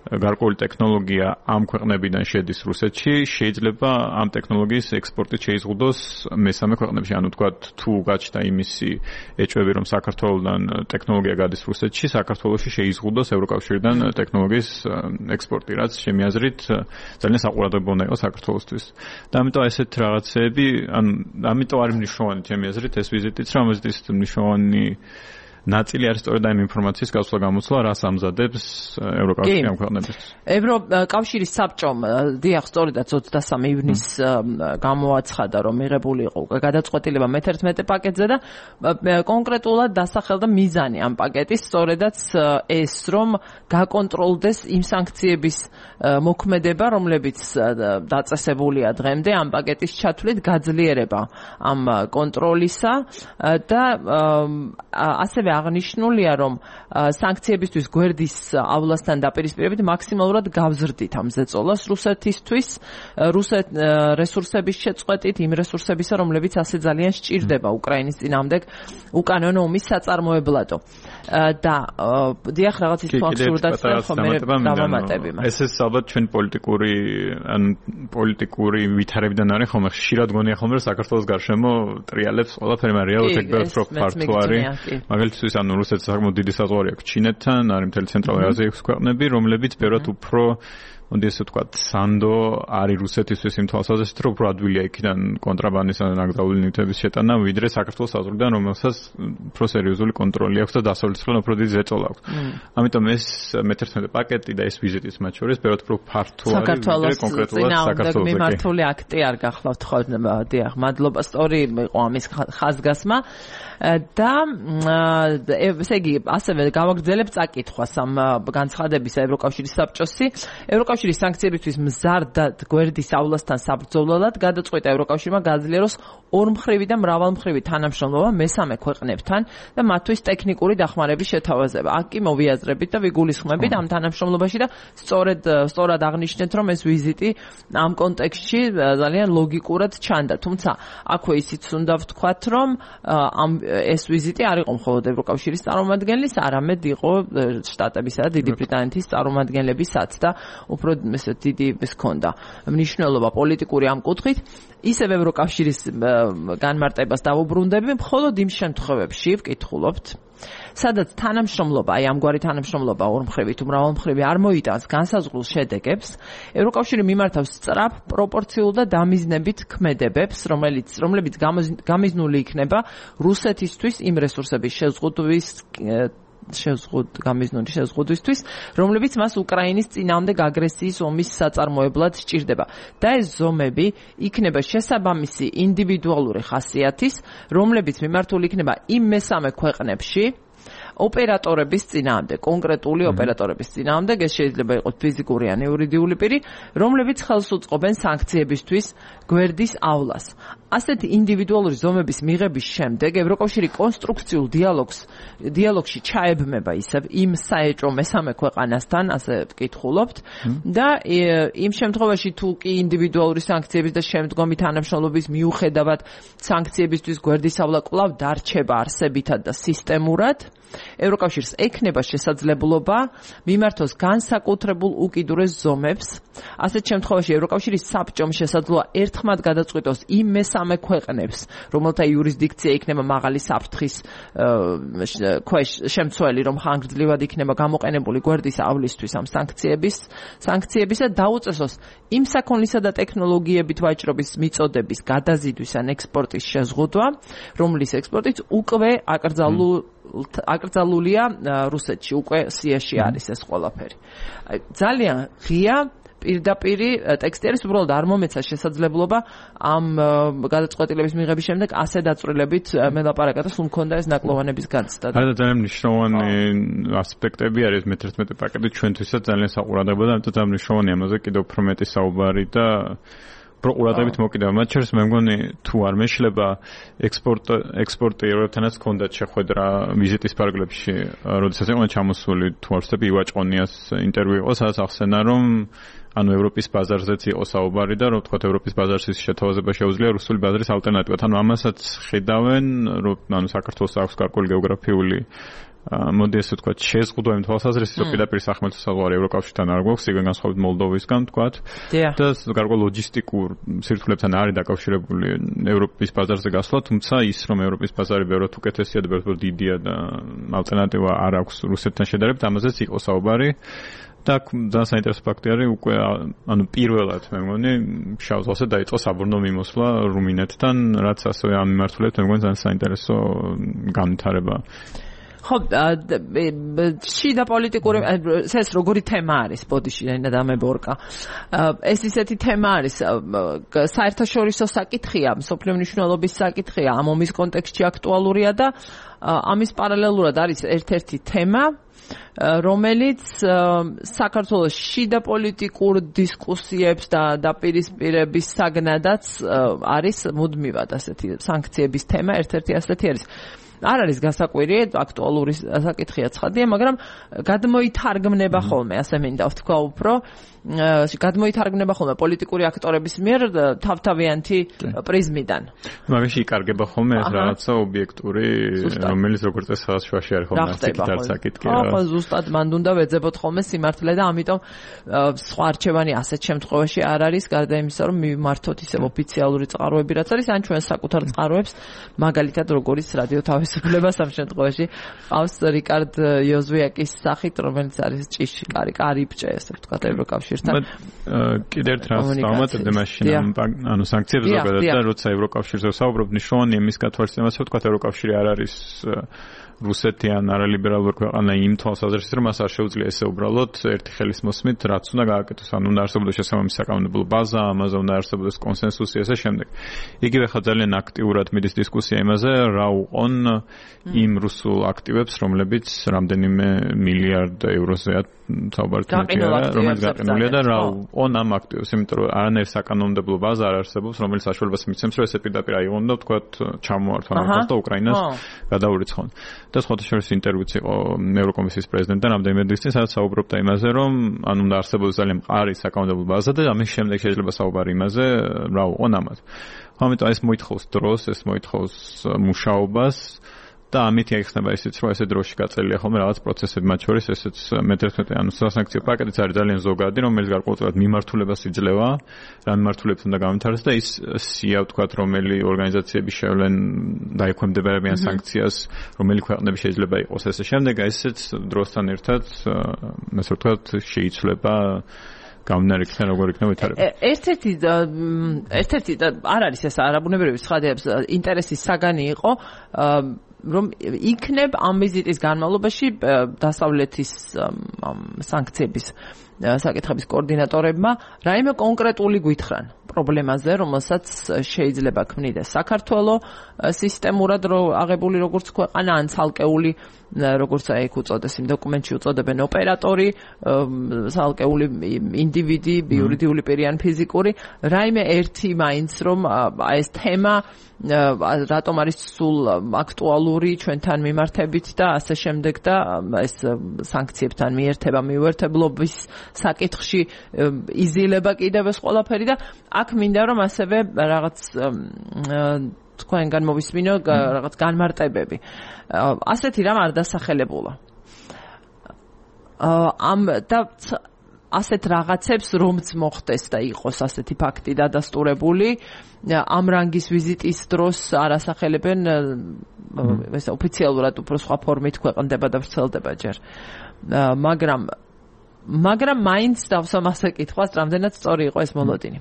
გარკვეული ტექნოლოგია ამ ქვეყნებიდან შედის რუსეთში, შეიძლება ამ ტექნოლოგიის ექსპორტით შეიზღუდოს მესამე ქვეყნებში. ანუ ვთქვათ, თუ გაჩნდა იმისი ეჭვები, რომ საქართველოსთან ტექნოლოგია გადის რუსეთში, საქართველოში შეიზღუდოს ევროკავშირიდან ტექნოლოგიის ექსპორტი, რაც ჩემი აზრით ძალიან საყურადღებო უნდა იყოს საქართველოსთვის. და ამიტომ ესეთ რაღაცეები, ანუ ამიტომ არის მნიშვნელოვანი ჩემი აზრით ეს ვიზიტიც, რომ ეს მნიშვნელოვანი ნაწილი არის სწორედ ამ ინფორმაციის გასვლა გამოცვლა, რას ამზადებს ევროკავშირი ამ ქვეყნებისთვის. ევროკავშირის საბჭომ დიახ, სწორედაც ოცდასამი ივნისს გამოაცხადა, რომ მიღებული იყო გადაწყვეტილება მეთერთმეტე პაკეტზე და კონკრეტულად დასახელდა მიზანი ამ პაკეტის, სწორედაც ეს, რომ გაკონტროლდეს იმ სანქციების მოქმედება, რომლებიც დაწესებულია დღემდე ამ პაკეტის ჩათვლით, გაძლიერება ამ კონტროლისა და ასევე აღნიშნულია, რომ სანქციებისთვის გვერდისავლასთან დაპირისპირებით მაქსიმალურად გავზრდით ამ ზეწოლას რუსეთისთვის, რუსეთ რესურსების შეწყვეტით, იმ რესურსებისა, რომლებიც ასე ძალიან სჭირდება უკრაინის წინააღმდეგ უკანონო ომის საწარმოებლადო. და დიახ, რაღაც ის აბსურდად ხომ დავამატები მას. ეს ეს ალბათ ჩვენ პოლიტიკური ან პოლიტიკური ვითარებიდან არის ხომ ხშირად გონია ხომ რომ საქართველოს გარშემო ტრიალებს ყველაფერი, მაგრამ რეალურად ეგ უფრო ფართო არის. მაგალითად, ანუ რუსეთს საკმაოდ დიდი საზღვარი აქვს ჩინეთთან, არის მთელი ცენტრალური აზიის ქვეყნები, რომლებიც ბევრად უფრო მოდი ესე ვთქვათ, სანდო არის რუსეთისთვის იმ თვალსაზრისით, რომ უფრო ადვილია იქიდან კონტრაბანდის ან ნაკრძალული ნივთების შეტანა, ვიდრე საქართველოს საზღვრიდან, რომელსაც უფრო სერიოზული კონტროლი აქვს და დასავლეთისგან უფრო დიდი ზეწოლა აქვს. ამიტომ ეს მეთერთმეტე პაკეტი და ეს ვიზიტიც მათ შორის ბევრად უფრო ფართო არის, ვიდრე კონკრეტულად საქართველოს მიმართული აქტი არ გახლავთ ხო? დიახ, მადლობა, სწორი იყო ამის ხაზგასმა და ესე იგი ასევე გავაგრძელებ წაკითხვას ამ განცხადებისა ევროკავშირის საბჭოსი. ევროკავშირის სანქციებისთვის მზარდად გვერდის ავლასთან საბრძოლველად გადაწყვეტა ევროკავშირმა გააძლიეროს ორმხრივი და მრავალმხრივი თანამშრომლობა მესამე ქვეყნებთან და მათთვის ტექნიკური დახმარების შეთავაზება. აქ კი მოვიაზრებით და ვიგულისხმებით ამ თანამშრომლობაში და სწორედ სწორად აღნიშნეთ, რომ ეს ვიზიტი ამ კონტექსტში ძალიან ლოგიკურად ჩანდა. თუმცა აქვე ისიც უნდა ვთქვათ, რომ ამ ეს ვიზიტი არ იყო მხოლოდ ევროკავშირის წარმომადგენლის, არამედ იყო შტატებისა და დიდი ბრიტანეთის წარმომადგენლებისაც და უფრო ესე დიდი ის ჰქონდა მნიშვნელობა პოლიტიკური ამ კუთხით. ისევ ევროკავშირის განმარტებას დავუბრუნდები, მხოლოდ იმ შემთხვევებში ვკითხულობთ, სადაც თანამშრომლობა, აი ამგვარი თანამშრომლობა ორმხრივი თუ მრავალმხრივი არ მოიტანს განსაზღვრულ შედეგებს, ევროკავშირი მიმართავს სწრაფ, პროპორციულ და დამიზნებით ქმედებებს, რომელიც რომლებიც გამიზნული იქნება რუსეთისთვის იმ რესურსების შეზღუდვის შეზღუდ გამიზნული შეზღუდვისთვის, რომლებიც მას უკრაინის წინააღმდეგ აგრესიის ომის საწარმოებლად სჭირდება. და ეს ზომები იქნება შესაბამისი ინდივიდუალური ხასიათის, რომლებიც მიმართული იქნება იმ მესამე ქვეყნებში, ოპერატორების წინააღმდეგ, კონკრეტული ოპერატორების წინააღმდეგ, ეს შეიძლება იყოს ფიზიკური ან იურიდიული პირი, რომლებიც ხელს უწყობენ სანქციებისთვის გვერდის ავლას. ასეთი ინდივიდუალური ზომების მიღების შემდეგ ევროკავშირი კონსტრუქციულ დიალოგს დიალოგში ჩაებმება ისევ იმ საეჭვო მესამე ქვეყანასთან, ასე ვკითხულობთ და იმ შემთხვევაში თუ კი ინდივიდუალური სანქციების და შემდგომი თანამშრომლობის მიუხედავად სანქციებისთვის გვერდის ავლა კვლავ დარჩება არსებითად და სისტემურად, ევროკავშირს ექნება შესაძლებლობა მიმართოს განსაკუთრებულ უკიდურეს ზომებს. ასეთ შემთხვევაში ევროკავშირის საბჭომ შესაძლოა ერთხმად გადაწყვიტოს იმ მესამე ქვეყნებს, რომელთა იურისდიქცია იქნება მაღალი საფრთხის ქვეშ შემცველი, რომ ხანგრძლივად იქნება გამოყენებული გვერდისავლისთვის ამ სანქციების სანქციებისა დაუწესოს იმ საქონლისა და ტექნოლოგიებით ვაჭრობის მიწოდების გადაზიდვის ან ექსპორტის შეზღუდვა, რომლის ექსპორტიც უკვე აკრძალულ აკრძალულია რუსეთში, უკვე სიაში არის ეს ყველაფერი. ძალიან ღია პირდაპირ ტექსტი არის, უბრალოდ არ მომეცა შესაძლებლობა ამ გადაწყვეტილების მიღების შემდეგ ასე დაწვრილებით მელაპარაკა და სულ მქონდა ეს ნაკლოვანების განცდა. არა, ძალიან მნიშვნელოვანი ასპექტები არის მეთერთმეტე პაკეტი ჩვენთვისაც ძალიან საყურადღებო და ამიტომ ძალიან მნიშვნელოვანი ამაზე კიდევ უფრო მეტი საუბარი და პროკურატებით მოკიდება. მათ შორის მე მგონი თუ არ მეშლება ექსპორტ ექსპორტიერებთანაც ჰქონდათ შეხვედრა ვიზიტის პარაგრაფში, როდესაც იყო ჩამოსული თუ არ ვცდები ივაჭყონიას ინტერვიუ იყო, სადაც ახსენა რომ ანუ ევროპის ბაზარზეც იყო საუბარი და რომ თქვათ ევროპის ბაზარში შეთავაზება შეუძლია რუსული ბაზარის ალტერნატივად. ანუ ამასაც ხედავენ, რომ ანუ საქართველოს აქვს გარკვეული გეოგრაფიული მოდი ესე ვთქვათ შეზღუდვა იმ თვალსაზრისით, რომ პირდაპირ სახმელთო საზღვარი ევროკავშირთან არ გვაქვს, იგივე განსხვავებით მოლდოვისგან ვთქვათ. და გარკვეულ ლოჯისტიკურ სირთულეებთან არის დაკავშირებული ევროპის ბაზარზე გასვლა, თუმცა ის რომ ევროპის ბაზარი ბევრად უკეთესია და ბევრად დიდია და ალტერნატივა არ აქვს რუსეთთან შედარებით, ამაზეც იყო საუბარი. და ძალიან საინტერესო ფაქტი არის, უკვე ანუ პირველად მე მგონი შავ ზღვაზე დაიწყო საბორნო მიმოსვლა რუმინეთთან, რაც ასევე ამ მიმართულებით მე მგონი ძალიან საინტერესო განვითარება. ხო, შიდა პოლიტიკური ეს როგორი თემა არის, ბოდიში და დამებორკა. ეს ისეთი თემა არის, საერთაშორისო საკითხია, მსოფლიო მნიშვნელობის საკითხია, ამ ომის კონტექსტში აქტუალურია და ამის პარალელურად არის ერთ-ერთი თემა, რომელიც საქართველოს შიდა პოლიტიკურ დისკუსიებს და დაპირისპირების საგნადაც არის მუდმივად ასეთი სანქციების თემა, ერთ-ერთი ასეთი არის. არ არის გასაკვირი, აქტუალური საკითხია ცხადია, მაგრამ გადმოითარგმნება ხოლმე, ასე მინდა ვთქვა უფრო, გადმოითარგმნება ხოლმე პოლიტიკური აქტორების მიერ თავთავიანთი პრიზმიდან. მაგაში იკარგება ხოლმე ეს რაღაცა ობიექტური, რომელიც როგორც წესი სადაც შუაში არის ხოლმე საკითხი საკითხი. ხო, ზუსტად მან უნდა ვეძებოთ ხოლმე სიმართლე და ამიტომ სხვა არჩევანი ასეთ შემთხვევაში არ არის, გარდა იმისა, რომ მივმართოთ ისევ ოფიციალური წყაროები, რაც არის, ან ჩვენ საკუთარ წყაროებს, მაგალითად როგორც რადიო თავის თავისუფლებას ამ შემთხვევაში ყავს რიკარდ იოზვიაკის სახით, რომელიც არის ჭიში, კარი, კარიბჭე, ესე ვთქვათ, ევროკავშირთან. კიდევ ერთ რას დავამატებდი მაშინ, ანუ სანქციებზე ზოგადად და როცა ევროკავშირზე საუბრობ, ნიშნავენ იმის გათვალისწინებას, რომ ვთქვათ, ევროკავშირი არ არის რუსეთი ან არალიბერალური ქვეყანა იმ თვალსაზრისით, რომ მას არ შეუძლია ესე უბრალოდ ერთი ხელის მოსმით რაც უნდა გააკეთოს, ან უნდა არსებობდეს შესაბამისი საკანონმდებლო ბაზა, ამაზე უნდა არსებობდეს კონსენსუსი ესე შემდეგ. იგივე ხა ძალიან აქტიურად მიდის დისკუსია იმაზე, რა უყონ იმ რუსულ აქტივებს, რომლებიც რამდენიმე მილიარდ ევროზეა საუბარი თვითონ, რომელიც გაყინულია და რა უყონ ამ აქტივებს, იმიტომ რომ არანაირი საკანონმდებლო ბაზა არ არსებობს, რომელიც საშუალებას მიცემს, რომ ესე პირდაპირ აიღონ და ვთქვათ ჩამოართვან ახალ და უკრაინას გადაურიცხონ. და სხვათა შორის ინტერვიუც იყო ევროკომისიის პრეზიდენტთან რამდენიმე დღის წინ, სადაც საუბრობდა იმაზე, რომ ანუ უნდა არსებობდეს ძალიან მყარი საკანონმდებლო ბაზა და ამის შემდეგ შეიძლება საუბარი იმაზე, რა უყონ ამათ. ამიტომ ეს მოითხოვს დროს, ეს მოითხოვს მუშაობას და ამით ეხსნება ისიც, რომ ესე დროში გაწელია ხოლმე რაღაც პროცესები, მათ შორის ესეც მეთერთმეტე ანუ სასანქციო პაკეტიც არის ძალიან ზოგადი, რომელიც გარკვეულწილად მიმართულებას იძლევა, რა მიმართულებით უნდა გამართარდეს და ის სია ვთქვათ, რომელი ორგანიზაციები შევლენ დაექვემდებარებიან სანქციას, რომელი ქვეყნები შეიძლება იყოს ესე შემდეგ, ესეც დროსთან ერთად, ასე ვთქვათ, შეიცვლება გამნარიქთან როგორ იქნება ვითარება. ერთ-ერთი ერთ-ერთი არ არის ეს არაბუნებრივი ცხადებს ინტერესის საგანი იყო რომ იქნებ ამ ვიზიტის განმავლობაში დასავლეთის სანქციების საკითხების კოორდინატორებმა რაიმე კონკრეტული გვითხრან პრობლემაზე, რომელსაც შეიძლება ქმნიდეს საქართველოს სისტემურად აღებული როგორც ქვეყანა ან ცალკეული როგორც აი ეგ უწოდეს იმ დოკუმენტში უწოდებენ ოპერატორი, ცალკეული ინდივიდი, იურიდიული პირი ან ფიზიკური, რაიმე ერთი მაინც რომ აი ეს თემა რატომ არის სულ აქტუალური ჩვენთან მიმართებით და ასე შემდეგ და ეს სანქციებთან მიერთება მიუერთებლობის საკითხში იზილება კიდევ ეს ყველაფერი და აქ მინდა რომ ასევე რაღაც თქვენგან მოვისმინო რაღაც განმარტებები. ასეთი რამ არ დასახელებულა. ამ და ასეთ რაღაცებს რომც მოხდეს და იყოს ასეთი ფაქტი დადასტურებული, ამ რანგის ვიზიტის დროს არ ასახელებენ ეს ოფიციალურად უფრო სხვა ფორმით ქვეყნდება და ვრცელდება ჯერ. მაგრამ მაგრამ მაინც დავსვამ ასე კითხვას, რამდენად სწორი იყო ეს მოლოდინი.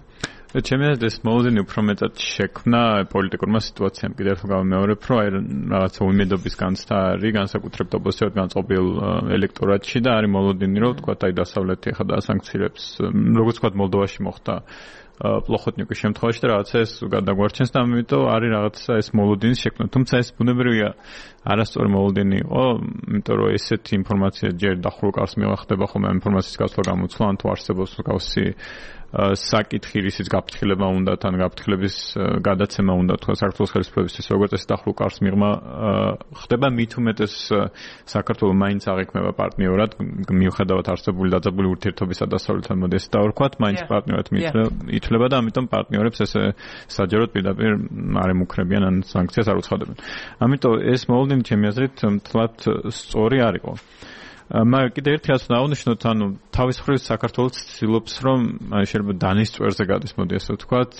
ჩემი აზრით ეს მოლოდინი უფრო მეტად შექმნა პოლიტიკურმა სიტუაციამ. კიდევ ერთხელ გამეორებ, რომ აი რაღაცა უიმედობის განცდა არის განსაკუთრებით ოპოზიციად განწყობილ ელექტორატში და არის მოლოდინი, რომ თქვა აი დასავლეთი ახლა დაასანქცირებს, როგორც თქვა მოლდოვაში მოხდა პლოხოტნიკის შემთხვევაში და რაღაცა ეს გადაგვარჩენს და ამიტომ არის რაღაცა ეს მოლოდინის შექმნა. თუმცა ეს ბუნებრივია არასწორი მოლოდინი იყო, იმიტომ რომ ესეთი ინფორმაცია ჯერ დახურულ კარს მივახდება ხოლმე ამ ინფორმაციის გასვლა გამოცვლა, ან თუ არსებობს მსგავსი საკითხი, რისიც გაფრთხილება უნდა, თან გაფრთხილების გადაცემა უნდა, თქვა საქართველოს ხელისუფლებისთვის როგორც ეს დახურულ კარს მიღმა ხდება, მით უმეტეს საქართველოს მაინც აღიქმება პარტნიორად, მიუხედავად არსებული დაძაბული ურთიერთობისა დასავლეთთან, მოდი ეს დავარქვათ, მაინც პარტნიორად ითვლება და ამიტომ პარტნიორებს ესე საჯაროდ პირდაპირ არ ემუქრებიან ან სანქციას არ უცხადებენ. ამიტომ ეს მოლოდინი ჩემი აზრით მთლად სწორი არ იყო. მაგრამ კიდევ ერთი რაც დაუნიშნოთ, ანუ თავის მხრივ საქართველოს ცდილობს, რომ შეიძლება დანის წვერზე გადის, მოდი ასე ვთქვათ,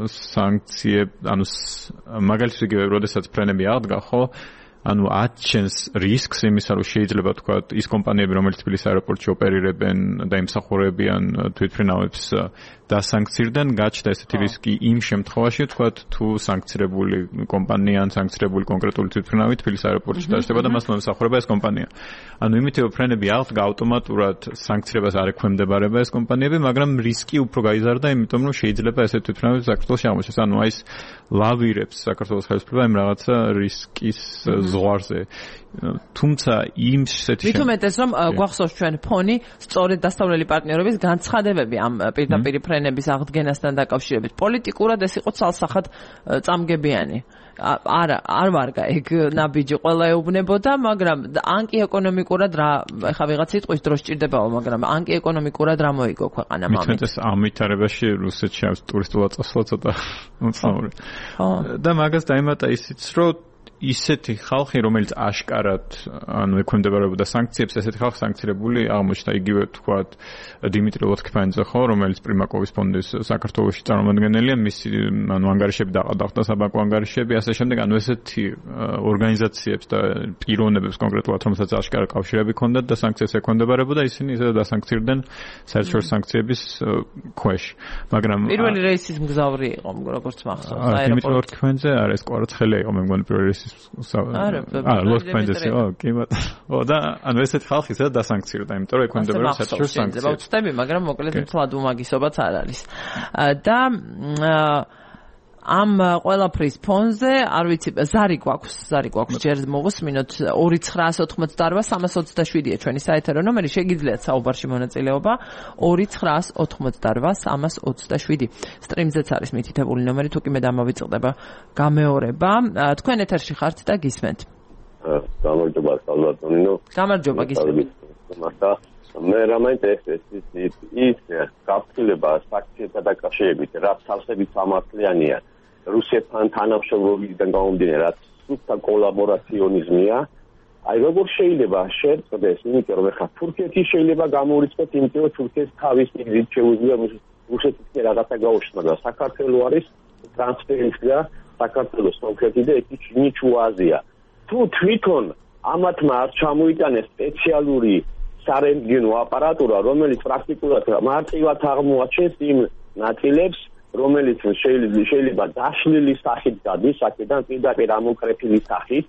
სანქციები, ანუ მაგალითად იგივე, როდესაც ფრენები აღდგა, ხო? ანუ აჩენს რისკს იმისა, რომ შეიძლება ვთქვათ, ის კომპანიები, რომელიც თბილისის აეროპორტში ოპერირებენ და იმსახურებიან თვითმფრინავებს დასანქცირდნენ, გაჩნდა ესეთი რისკი იმ შემთხვევაში, ვთქვათ, თუ სანქცირებული კომპანია ან სანქცირებული კონკრეტული თვითმფრინავი თბილისის აეროპორტში დაჯდება და მას მომსახურება ეს კომპანია. ანუ იმით რომ ფრენები აღდგა, ავტომატურად სანქციებას არ ექვემდებარება ეს კომპანიები, მაგრამ რისკი უფრო გაიზარდა, იმიტომ რომ შეიძლება ესეთი თვითმფრინავი საქართველოში აღმოჩნდეს. ანუ აი ეს ლავირებს საქართველოს ხელისუფლება იმ რაღაცა რისკის ზღვარზე. თუმცა იმ სეტში მით უმეტეს რომ გვახსოვს ჩვენ ფონი სწორედ დასავლელი პარტნიორების განცხადებები ამ პირდაპირ ფრენების აღდგენასთან დაკავშირებით. პოლიტიკურად ეს იყო ცალსახად წამგებიანი. არა, არ ვარგა ეგ ნაბიჯი ყველა ეუბნებოდა, მაგრამ ან კი ეკონომიკურად რა, ეხა ვიღაც იტყვის დრო სჭირდებაო, მაგრამ ან კი ეკონომიკურად რა მოიგო ქვეყანამ ამით. მით უმეტეს ამ ვითარებაში რუსეთში ამ ტურისტულად წასვლა ცოტა უცნაური. და მაგას დაემატა ისიც, რომ ისეთი ხალხი, რომელიც აშკარად ანუ ექვემდებარებოდა სანქციებს, ესეთი ხალხი სანქცირებული აღმოჩნდა. იგივე თქვათ დიმიტრი ლოთქიფანიძე ხო, რომელიც პრიმაკოვის ფონდის საქართველოში წარმომადგენელია, მისი ანუ ანგარიშები დაყავდა საბანკო ანგარიშები, ასე შემდეგ, ანუ ესეთი ორგანიზაციებს და პიროვნებებს კონკრეტულად, რომელსაც აშკარად კავშირები ჰქონდათ და სანქციებს ექვემდებარებოდა, ისინი ისე დასანქცირდნენ საერთაშორისო სანქციების ქვეშ. მაგრამ პირველი რეისის მგზავრი იყო, როგორც მახსოვს, აეროპორტში. დიმიტრი ლოთქიფანიძე არის კვარაცხელია იყო, მე მგონი პირველი რეისის. აა, ლოთქიფანიძე იყო, კი ბატონო. და ანუ ესეთი ხალხი ისე დასანქცირდა, იმიტომ რომ ექვემდებარება საერთაშორისო სანქციებს. ვწდები, მაგრამ მოკლედ მთლად უმაგისობაც არ არის. და ამ ყველაფრის ფონზე, არ ვიცი, ზარი გვაქვს, ზარი გვაქვს, ჯერ მოვუსმინოთ ორი ცხრაას ოთხმოცდაორვა სამას ოცდაშვიდია ჩვენი საეთერო ნომერი, შეგიძლიათ საუბარში მონაწილეობა ორი ცხრაას ოთხმოცდაორვა სამას ოცდაშვიდი. სტრიმზეც არის მითითებული ნომერი, თუ კი მე დამოვიწყდება გამეორება. თქვენ ეთერში ხართ და გისმენთ. გამარჯობა, სალვადორინო. გამარჯობა, გისმენთ. მე რა მაინტერესებს ის ის გაფრთხილება სანქციებთან დაკავშირებით, რაც თავსებით სამართლიანია. რუსეთთან თანამშრომლობიდან გამომდინარე, რაც სუფთა კოლაბორაციონიზმია. აი როგორ შეიძლება შეწყდეს, იმიტომ რომ ხა თურქეთი შეიძლება გამორიცხოს, იმიტომ რომ თურქეთს თავის მიზნით შეუძლია რუსეთთან რაღაცა გაუშვას, მაგრამ საქართველოს არის ტრანსფერინგა, საქართველოს კონკრეტი და ეთი ნიჩუაზია. თუ თვითონ ამათმა არ ჩამოიტანეს სპეციალური სარენტგენო აპარატურა, რომელიც პრაქტიკულად მარტივად აღმოაჩენს იმ ნაწილებს, რომელიც შეიძლება დაშლილი სახით გადის, აქედან პირდაპირ ამოკრეფილი სახით,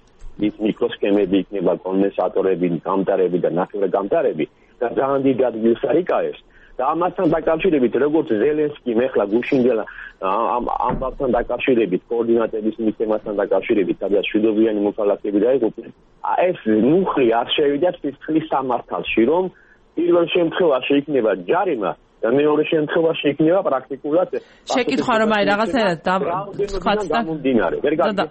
ის მიკროსქემები იქნება, კონდენსატორები, გამტარები და ნახევრგამტარები და ძალიან დიდ ადგილს არიკავებს. და ამასთან დაკავშირებით, როგორც ზელენსკიმ ახლა გუშინდელა ამ ამბავთან დაკავშირებით, კოორდინატების მისცემასთან დაკავშირებით, სადაც შვიდობიანი მოქალაქეები დაიღუპნენ, ეს მუხლი არ შევიდა ფისკლის სამართალში, რომ პირველ შემთხვევაში იქნება ჯარიმა და მეორე შემთხვევაში იქნება პრაქტიკულად შეკითხვა რომ აი რაღაცნაირად სხვაც და გამომდინარე. ვერ გაიგე.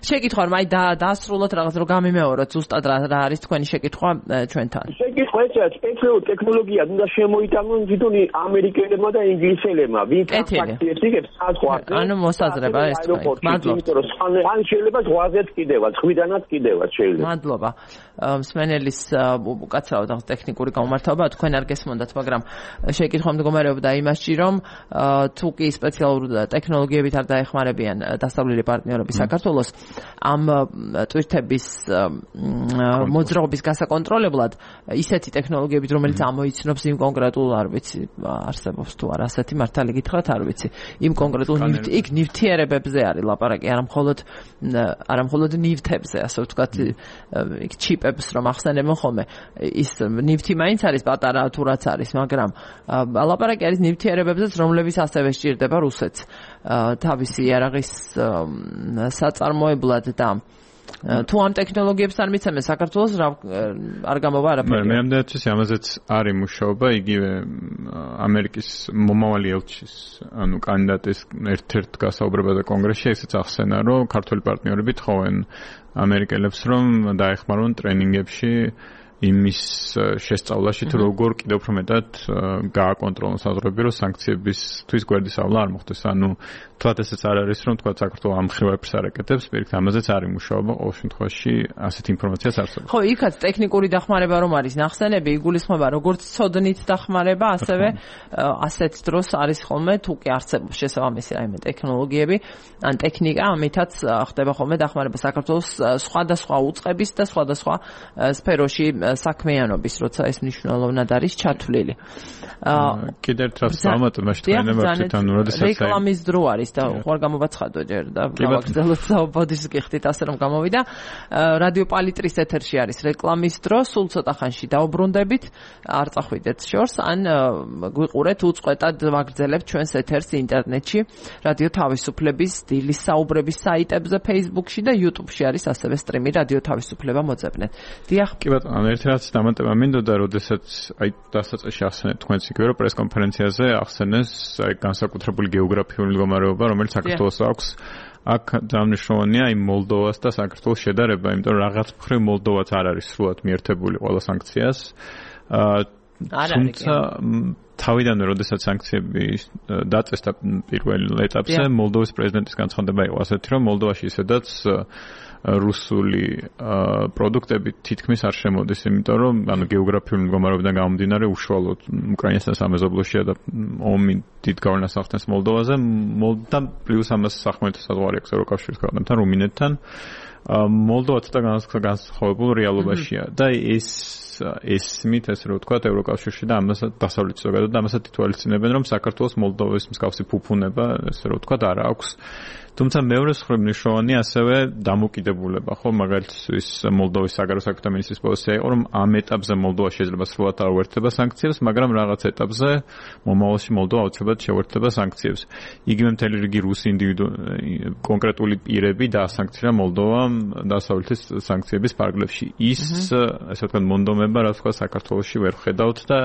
შეკითხვა რომ აი დაასრულოთ რაღაც რომ გამიმეოროთ ზუსტად რა არის თქვენი შეკითხვა ჩვენთან. შეკითხვა ესაა სპეციალური ტექნოლოგია უნდა შემოიტანონ თვითონ ამერიკელებმა და ინგლისელებმა. ვინ ტრანსაქციებს იგებს საზღვარზე. ანუ მოსაზრება ეს თქვენ. მადლობა. იმიტომ რომ ან შეიძლება ზღვაზეც კიდევაც, ხვიდანაც კიდევაც შეიძლება. მადლობა. მსმენელის უკაცრავად რაღაც ტექნიკური გამომართვება თქვენ არ გესმოდათ, მაგრამ შეკითხვა მდგომარეობდა იმასში, რომ თუ კი სპეციალურ ტექნოლოგიებით არ დაეხმარებიან დასავლელი პარტნიორები საქართველოს ამ ტვირთების მოძრაობის გასაკონტროლებლად ისეთი ტექნოლოგიებით, რომელიც ამოიცნობს იმ კონკრეტულ, არ ვიცი, არსებობს თუ არა ასეთი მართალი გითხრათ, არ ვიცი, იმ კონკრეტულ იქ ნივთიერებებზე არის ლაპარაკი, არა მხოლოდ არა მხოლოდ ნივთებზე, ასე ვთქვათ, იქ ჩიპებს რომ ახსენებენ ხოლმე, ის ნივთი მაინც არის პატარა თუ რაც არის, მაგრამ ლაპარაკი არის ნივთიერებებზეც, რომლებიც ასევე სჭირდება რუსეთს თავისი იარაღის საწარმოებლად და თუ ამ ტექნოლოგიებს არ მიცემენ საქართველოს არ გამოვა არაფერი. მე ამდენად ვიცი, ამაზეც არის მუშაობა, იგივე ამერიკის მომავალი ელჩის, ანუ კანდიდატის ერთ-ერთ გასაუბრებაზე კონგრესში ესეც ახსენა, რომ ქართველი პარტნიორები თხოვენ ამერიკელებს, რომ დაეხმარონ ტრენინგებში იმის შესწავლაში, თუ როგორ კიდევ უფრო მეტად გააკონტროლონ საზღვრები, რომ სანქციებისთვის გვერდისავლა არ მოხდეს. ანუ თქვათ ესეც არ არის, რომ თქვათ საქართველოს ამ ხრივებს არ აკეთებს, პირიქით ამაზეც არის მუშაობა, ყოველ შემთხვევაში ასეთ ინფორმაციას არსებობს. ხო, იქაც ტექნიკური დახმარება რომ არის ნახსენები, იგულისხმება როგორც ცოდნით დახმარება, ასევე ასეთ დროს არის ხოლმე, თუ კი არსებობს შესაბამისი რაიმე ტექნოლოგიები, ან ტექნიკა, ამითაც ხდება ხოლმე დახმარება საქართველოს სხვადასხვა უწყების და სხვადასხვა სფეროში საქმიანობის, როცა ეს მნიშვნელოვნად არის ჩათვლილი. კიდევ ერთ რას დავამატებ, მაშინ თქვენებებთ, ანუ როდესაც რეკლამის დრო არის და ხوار გამოვაცხადო ჯერ და გავაგრძელოთ საუბოდის გიხდით ასე რომ გამოვიდა. რადიო პალიტრის ეთერში არის რეკლამის დრო, სულ ცოტა ხანში დაუბრუნდებით, არ წახვიდეთ შორს, ან გვიყურეთ უწყვეტად ვაგრძელებთ ჩვენს ეთერს ინტერნეტში, რადიო თავისუფლების დილის საუბრების საიტებზე, Facebook-ში და YouTube-ში არის ასევე სტრიმი რადიო თავისუფლება მოძებნეთ. დიახ. კი ბატონო, ერთ რაც დამატება მინდოდა, როდესაც აი დასაწყისში ახსენეთ თქვენს იგივე რომ პრესკონფერენციაზე ახსენეს აი განსაკუთრებული გეოგრაფიული მდგომარეობა, რომელიც საქართველოს აქვს. აქ დამნიშნულია იმ მოლდოვას და საქართველოს შედარება, იმიტომ რომ რაღაც მხრივ მოლდოვაც არ არის სრულად მიერთებული ყველა სანქციას. თუმცა თავიდანვე, როდესაც სანქციები დაწესდა პირველ ეტაპზე, მოლდოვის პრეზიდენტის განცხადება იყო ასეთი, რომ მოლდოვაში ისედაც რუსული პროდუქტები თითქმის არ შემოდის, იმიტომ რომ ანუ გეოგრაფიული მდგომარეობიდან გამომდინარე უშუალოდ უკრაინასთან სამეზობლოშია და ომი დიდ გავლენას ახდენს მოლდოვაზე, და პლუს ამას სახმელეთო საზღვარი აქვს ევროკავშირის ქვეყნებთან, რუმინეთთან. მოლდოვა ცოტა განსხვავებულ რეალობაშია და ეს ეს მით ესე რომ ვთქვათ ევროკავშირში და ამას დასავლეთ ზოგადად და ამასაც ითვალისწინებენ რომ საქართველოს მოლდოვის მსგავსი ფუფუნება ესე რომ ვთქვათ არ აქვს. თუმცა მეორე მხრივ მნიშვნელოვანია ასევე დამოკიდებულება, ხო, მაგალითად მოლდოვის საგარეო საქმეთა მინისტრის პოზიცია იყო, რომ ამ ეტაპზე მოლდოვა შეიძლება სრულად არ უერთდება სანქციებს, მაგრამ რაღაც ეტაპზე მომავალში მოლდოვა აუცილებლად შეუერთდება სანქციებს. იგივე მთელი რიგი რუსი ინდივიდუ კონკრეტული პირები დაასანქცია მოლდოვამ დასავლეთის სანქციების ფარგლებში. ის ესე ვთქვათ მონდომება, რაც თქვა საქართველოში ვერ ხედავთ და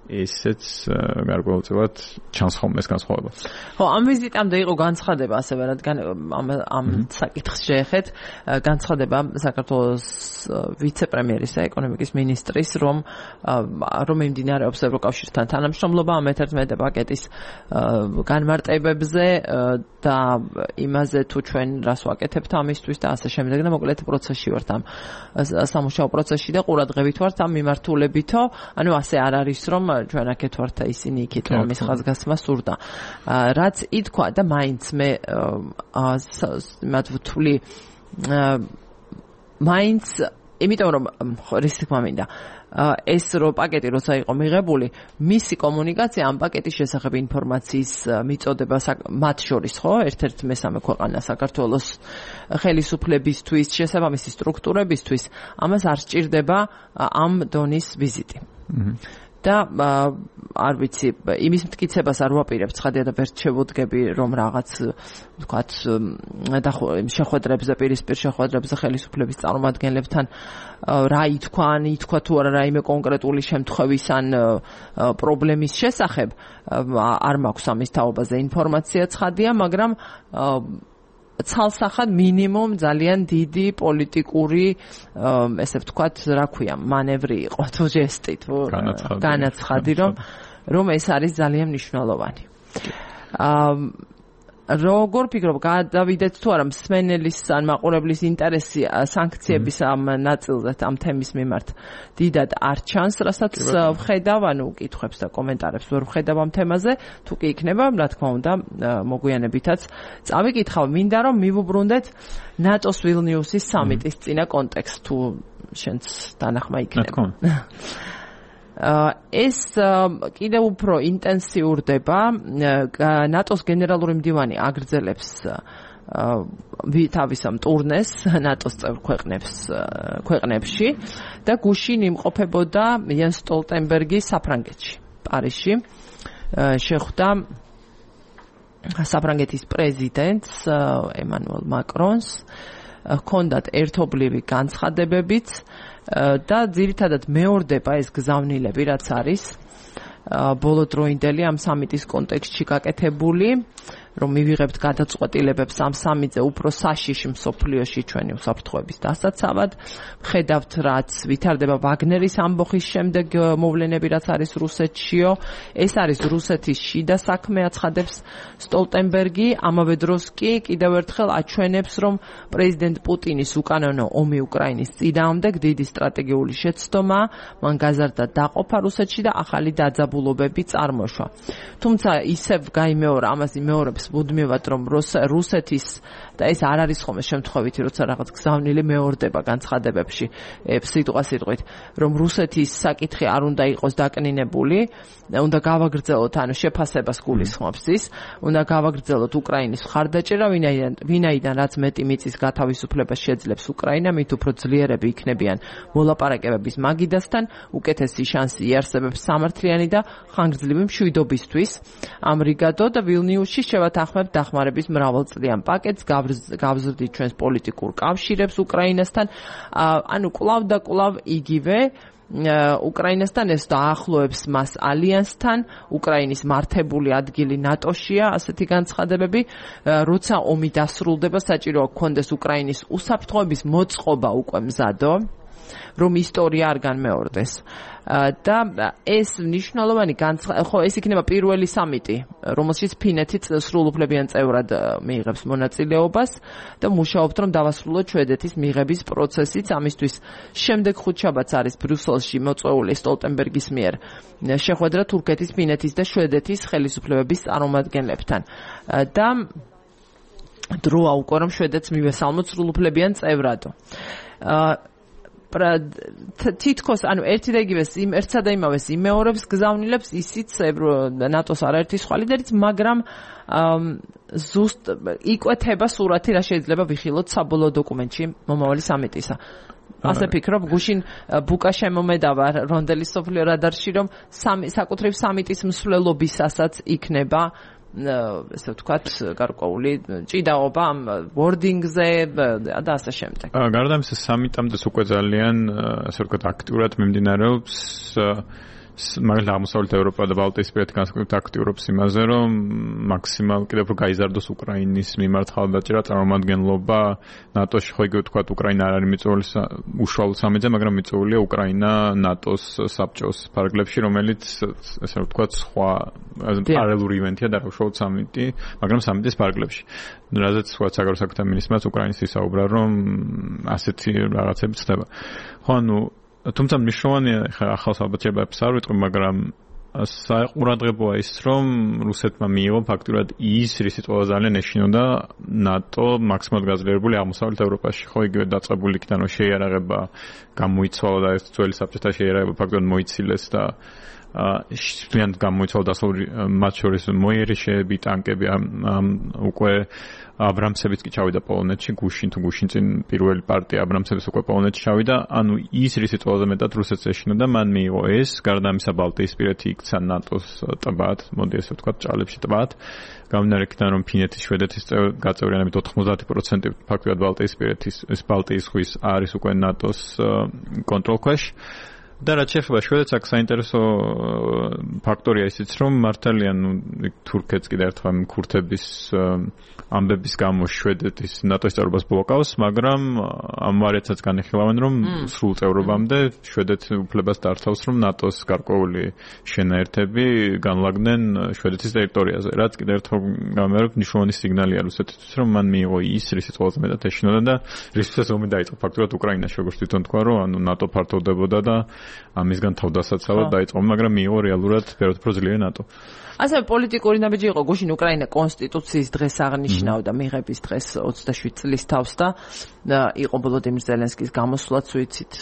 ესეც გარკვეულწილად ჩანს ხოლმე ეს განსხვავება. ხო, ამ ვიზიტამდე იყო განცხადება ასევე, რადგან ამ ამ საკითხს შეეხეთ, განცხადება საქართველოს ვიცე-პრემიერის და ეკონომიკის მინისტრის, რომ რომ მიმდინარეობს ევროკავშირთან თანამშრომლობა ამ მეთერთმეტე პაკეტის განმარტებებზე და იმაზე თუ ჩვენ რას ვაკეთებთ ამისთვის და ასე შემდეგ და მოკლედ პროცესში ვართ ამ სამუშაო პროცესში და ყურადღებით ვართ ამ მიმართულებითო, ანუ ასე არ არის რომ ჩვენ აქეთ ვართ და ისინი იქით რომ ის ხაზგასმა სურდა. რაც ითქვა და მაინც მე მათ ვთვლი მაინც იმიტომ რომ რის თქმა მინდა ეს რო პაკეტი როცა იყო მიღებული, მისი კომუნიკაცია ამ პაკეტის შესახებ ინფორმაციის მიწოდება მათ შორის, ხო, ერთ-ერთ მესამე ქვეყანა საქართველოს ხელისუფლებისთვის, შესაბამისი სტრუქტურებისთვის, ამას არ სჭირდება ამ დონის ვიზიტი. და არ ვიცი, იმის მტკიცებას არ ვაპირებ ცხადია და ვერ შევუდგები რომ რაღაც ვთქვათ შეხვედრებზე, პირისპირ შეხვედრებზე ხელისუფლების წარმომადგენლებთან რა ითქვა, ან ითქვა თუ არა რაიმე კონკრეტული შემთხვევის ან პრობლემის შესახებ, არ მაქვს ამის თაობაზე ინფორმაცია ცხადია, მაგრამ ცალსახად მინიმუმ ძალიან დიდი პოლიტიკური ესე ვთქვათ, რა ქვია, მანევრი იყო თუ ჟესტი თუ განაცხადი, რომ რომ ეს არის ძალიან მნიშვნელოვანი. როგორ ფიქრობ, გადავიდეთ თუ არა მსმენელის ან მაყურებლის ინტერესი სანქციების ამ ნაწილზე, ამ თემის მიმართ დიდად არ ჩანს, რასაც ვხედავ, ანუ კითხვებს და კომენტარებს ვერ ვხედავ ამ თემაზე, თუ კი იქნება, რა თქმა უნდა, მოგვიანებითაც წავიკითხავ, მინდა რომ მივუბრუნდეთ ნატოს ვილნიუსის სამიტის წინა კონტექსტ, თუ შენც დანახმა იქნება. ეს კიდევ უფრო ინტენსიურდება, ნატოს გენერალური მდივანი აგრძელებს თავის ამ ტურნეს ნატოს წევრ ქვეყნებს ქვეყნებში და გუშინ იმყოფებოდა იანს სტოლტენბერგი საფრანგეთში, პარიზში. შეხვდა საფრანგეთის პრეზიდენტს ემანუელ მაკრონს, ჰქონდათ ერთობლივი განცხადებებიც და ძირითადად მეორდება ეს გზავნილები, რაც არის ბოლოდროინდელი ამ სამიტის კონტექსტში გაკეთებული, რომ მივიღებთ გადაწყვეტილებებს ამ სამიტზე უფრო საშიში მსოფლიოში ჩვენი უსაფრთხოების დასაცავად. ხედავთ, რაც ვითარდება ვაგნერის ამბოხის შემდეგ მოვლენები, რაც არის რუსეთშიო. ეს არის რუსეთის შიდა საქმე, აცხადებს სტოლტენბერგი. ამავე დროს კი კიდევ ერთხელ აჩვენებს, რომ პრეზიდენტ პუტინის უკანონო ომი უკრაინის წინააღმდეგ დიდი სტრატეგიული შეცდომა, მან გაზარდა დაყოფა რუსეთში და ახალი დაძაბულობები წარმოშვა. თუმცა ისევ გაიმეორა, ამას იმეორებს მუდმივად, რომ რუსეთის და ეს არ არის ხოლმე შემთხვევითი, როცა რაღაც გზავნილი მეორდება განცხადებებში, სიტყვა სიტყვით, რომ რუსეთის საკითხი არ უნდა იყოს დაკნინებული, უნდა გავაგრძელოთ, ანუ შეფასებას გულისხმობს ის, უნდა გავაგრძელოთ უკრაინის მხარდაჭერა, ვინაიდან ვინაიდან რაც მეტი მიწის გათავისუფლებას შეძლებს უკრაინა, მით უფრო ძლიერები იქნებიან მოლაპარაკებების მაგიდასთან, უკეთესი შანსი იარსებებს სამართლიანი და ხანგრძლივი მშვიდობისთვის. ამრიგადო და ვილნიუსში შევათანხმებთ დახმარების მრავალწლიან პაკეტს, გავზრდით ჩვენს პოლიტიკურ კავშირებს უკრაინასთან, ანუ კვლავ და კვლავ იგივე უკრაინასთან, ეს დაახლოებს მას ალიანსთან, უკრაინის მართებული ადგილი ნატოშია, ასეთი განცხადებები, როცა ომი დასრულდება, საჭიროა გქონდეს უკრაინის უსაფრთხოების მოწყობა უკვე მზადო. რომ ისტორია არ განმეორდეს. და ეს მნიშვნელოვანი განცხადება, ხო, ეს იქნება პირველი სამიტი, რომელშიც ფინეთი სრულუფლებიან წევრად მიიღებს მონაწილეობას და მუშაობთ, რომ დავასრულოთ შვედეთის მიღების პროცესიც. ამისთვის შემდეგ ხუთშაბათს არის ბრიუსელში მოწვეული სტოლტენბერგის მიერ შეხვედრა თურქეთის, ფინეთის და შვედეთის ხელისუფლებების წარმომადგენლებთან. და დროა უკვე რომ შვედეთს მივესალმოთ სრულუფლებიან წევრად. თითქოს ანუ ერთი და იგივეს იმ ერთსა და იმავეს იმეორებს გზავნილებს ისიც ნატოს არაერთი სხვა ლიდერიც, მაგრამ ზუსტ იკვეთება სურათი, რა შეიძლება ვიხილოთ საბოლოო დოკუმენტში მომავალი სამიტისა. ასე ფიქრობ, გუშინ ბუკა შემომედავა რონდელის სოფლიო რადარში, რომ საკუთრივ სამიტის მსვლელობისასაც იქნება ესე ვთქვათ, გარკვეული ჭიდაობა ამ ვორდინგზე და ასე შემდეგ. გარდა ამისა, სამიტამდე უკვე ძალიან, ასე ვთქვათ, აქტიურად მიმდინარეობს მაგალითად აღმოსავლეთ ევროპა და ბალტიისპირეთი განსაკუთრებით აქტიურობს იმაზე, რომ მაქსიმალ კიდევ უფრო გაიზარდოს უკრაინის მიმართ ხალხდაჭერა წარმომადგენლობა ნატოში. ხო, იგივე ვთქვათ, უკრაინა არ არის მიწვეული უშუალოდ სამიტზე, მაგრამ მიწვეულია უკრაინა ნატოს საბჭოს ფარგლებში, რომელიც ესე ვთქვათ, სხვა პარალელური ივენთია და უშუალოდ სამიტი, მაგრამ სამიტის ფარგლებში. რაზეც სხვა საგარეო საქმეთა მინისტრმა უკრაინის ისაუბრა, რომ ასეთი რაღაცები ხდება. ხო, ანუ თუმცა მნიშვნელოვანია, ხა ახალს ალბათ შეებებს არ ვიტყვი, მაგრამ საყურადღებოა ის, რომ რუსეთმა მიიღო ფაქტურად ის, რისიც ყველაზე ძალიან ეშინოდა ნატო მაქსიმალურად გაძლიერებული აღმოსავლეთ ევროპაში. ხო, იგივე დაწყებული იქიდან რომ შეიარაღება გამოიცვალა და ეს ძველი საბჭოთა შეიარაღება ფაქტურად მოიცილეს და ძალიან გამოიცვალა დასავლური მათ შორის მოიერიშეები, ტანკები, უკვე აბრამსებიც კი ჩავიდა პოლონეთში, გუშინ თუ გუშინ წინ პირველი პარტია აბრამსების უკვე პოლონეთში ჩავიდა. ანუ ის რისიც ყველაზე მეტად რუსეთს ეშინოდა, მან მიიღო ეს, გარდა ამისა ბალტიისპირეთი იქცა ნატოს ტბად, მოდი ესე ვთქვათ, ჭალებში ტბად. გამომდინარე იქიდან, რომ ფინეთის, შვედეთის გაწევრიანებით ოთხმოცდაათი პროცენტი ფაქტობრივად ბალტიისპირეთის, ეს ბალტიის ზღვის არის უკვე ნატოს კონტროლქვეშ. და რაც შეეხება შვედეთს, აქ საინტერესო ფაქტორია ისიც, რომ მართალია, ნუ თურქეთს კიდევ ერთხელ ქურთების ამბების გამო შვედეთის ნატოს წევრობას ბლოკავს, მაგრამ ამ ვარიანტსაც განიხილავენ, რომ სრულ წევრობამდე შვედეთი უფლებას დართავს, რომ ნატოს გარკვეული შენაერთები განლაგდნენ შვედეთის ტერიტორიაზე. რაც კიდევ ერთხელ გამერობ მნიშვნელოვანი სიგნალია რუსეთისთვის, რომ მან მიიღო ის, რისიც ყველაზე მეტად ეშინოდა და რისთვისაც ომი დაიწყო. ფაქტობრივად უკრაინაში, როგორც თვითონ თქვა, რომ ანუ ნატო ფართოვდებოდა და ამისგან თავდასაცავად დაიწყო, მაგრამ მიიღო რეალურად ფერად უფრო ძლიერი ნატო. ასევე პოლიტიკური ნაბიჯი იყო გუშინ უკრაინა კონსტიტუციის დღეს აღნიშნავდა მიღების დღეს ოცდაშვიდი წლის თავს და იყო ვოლოდიმირ ზელენსკის გამოსვლაც ვიცით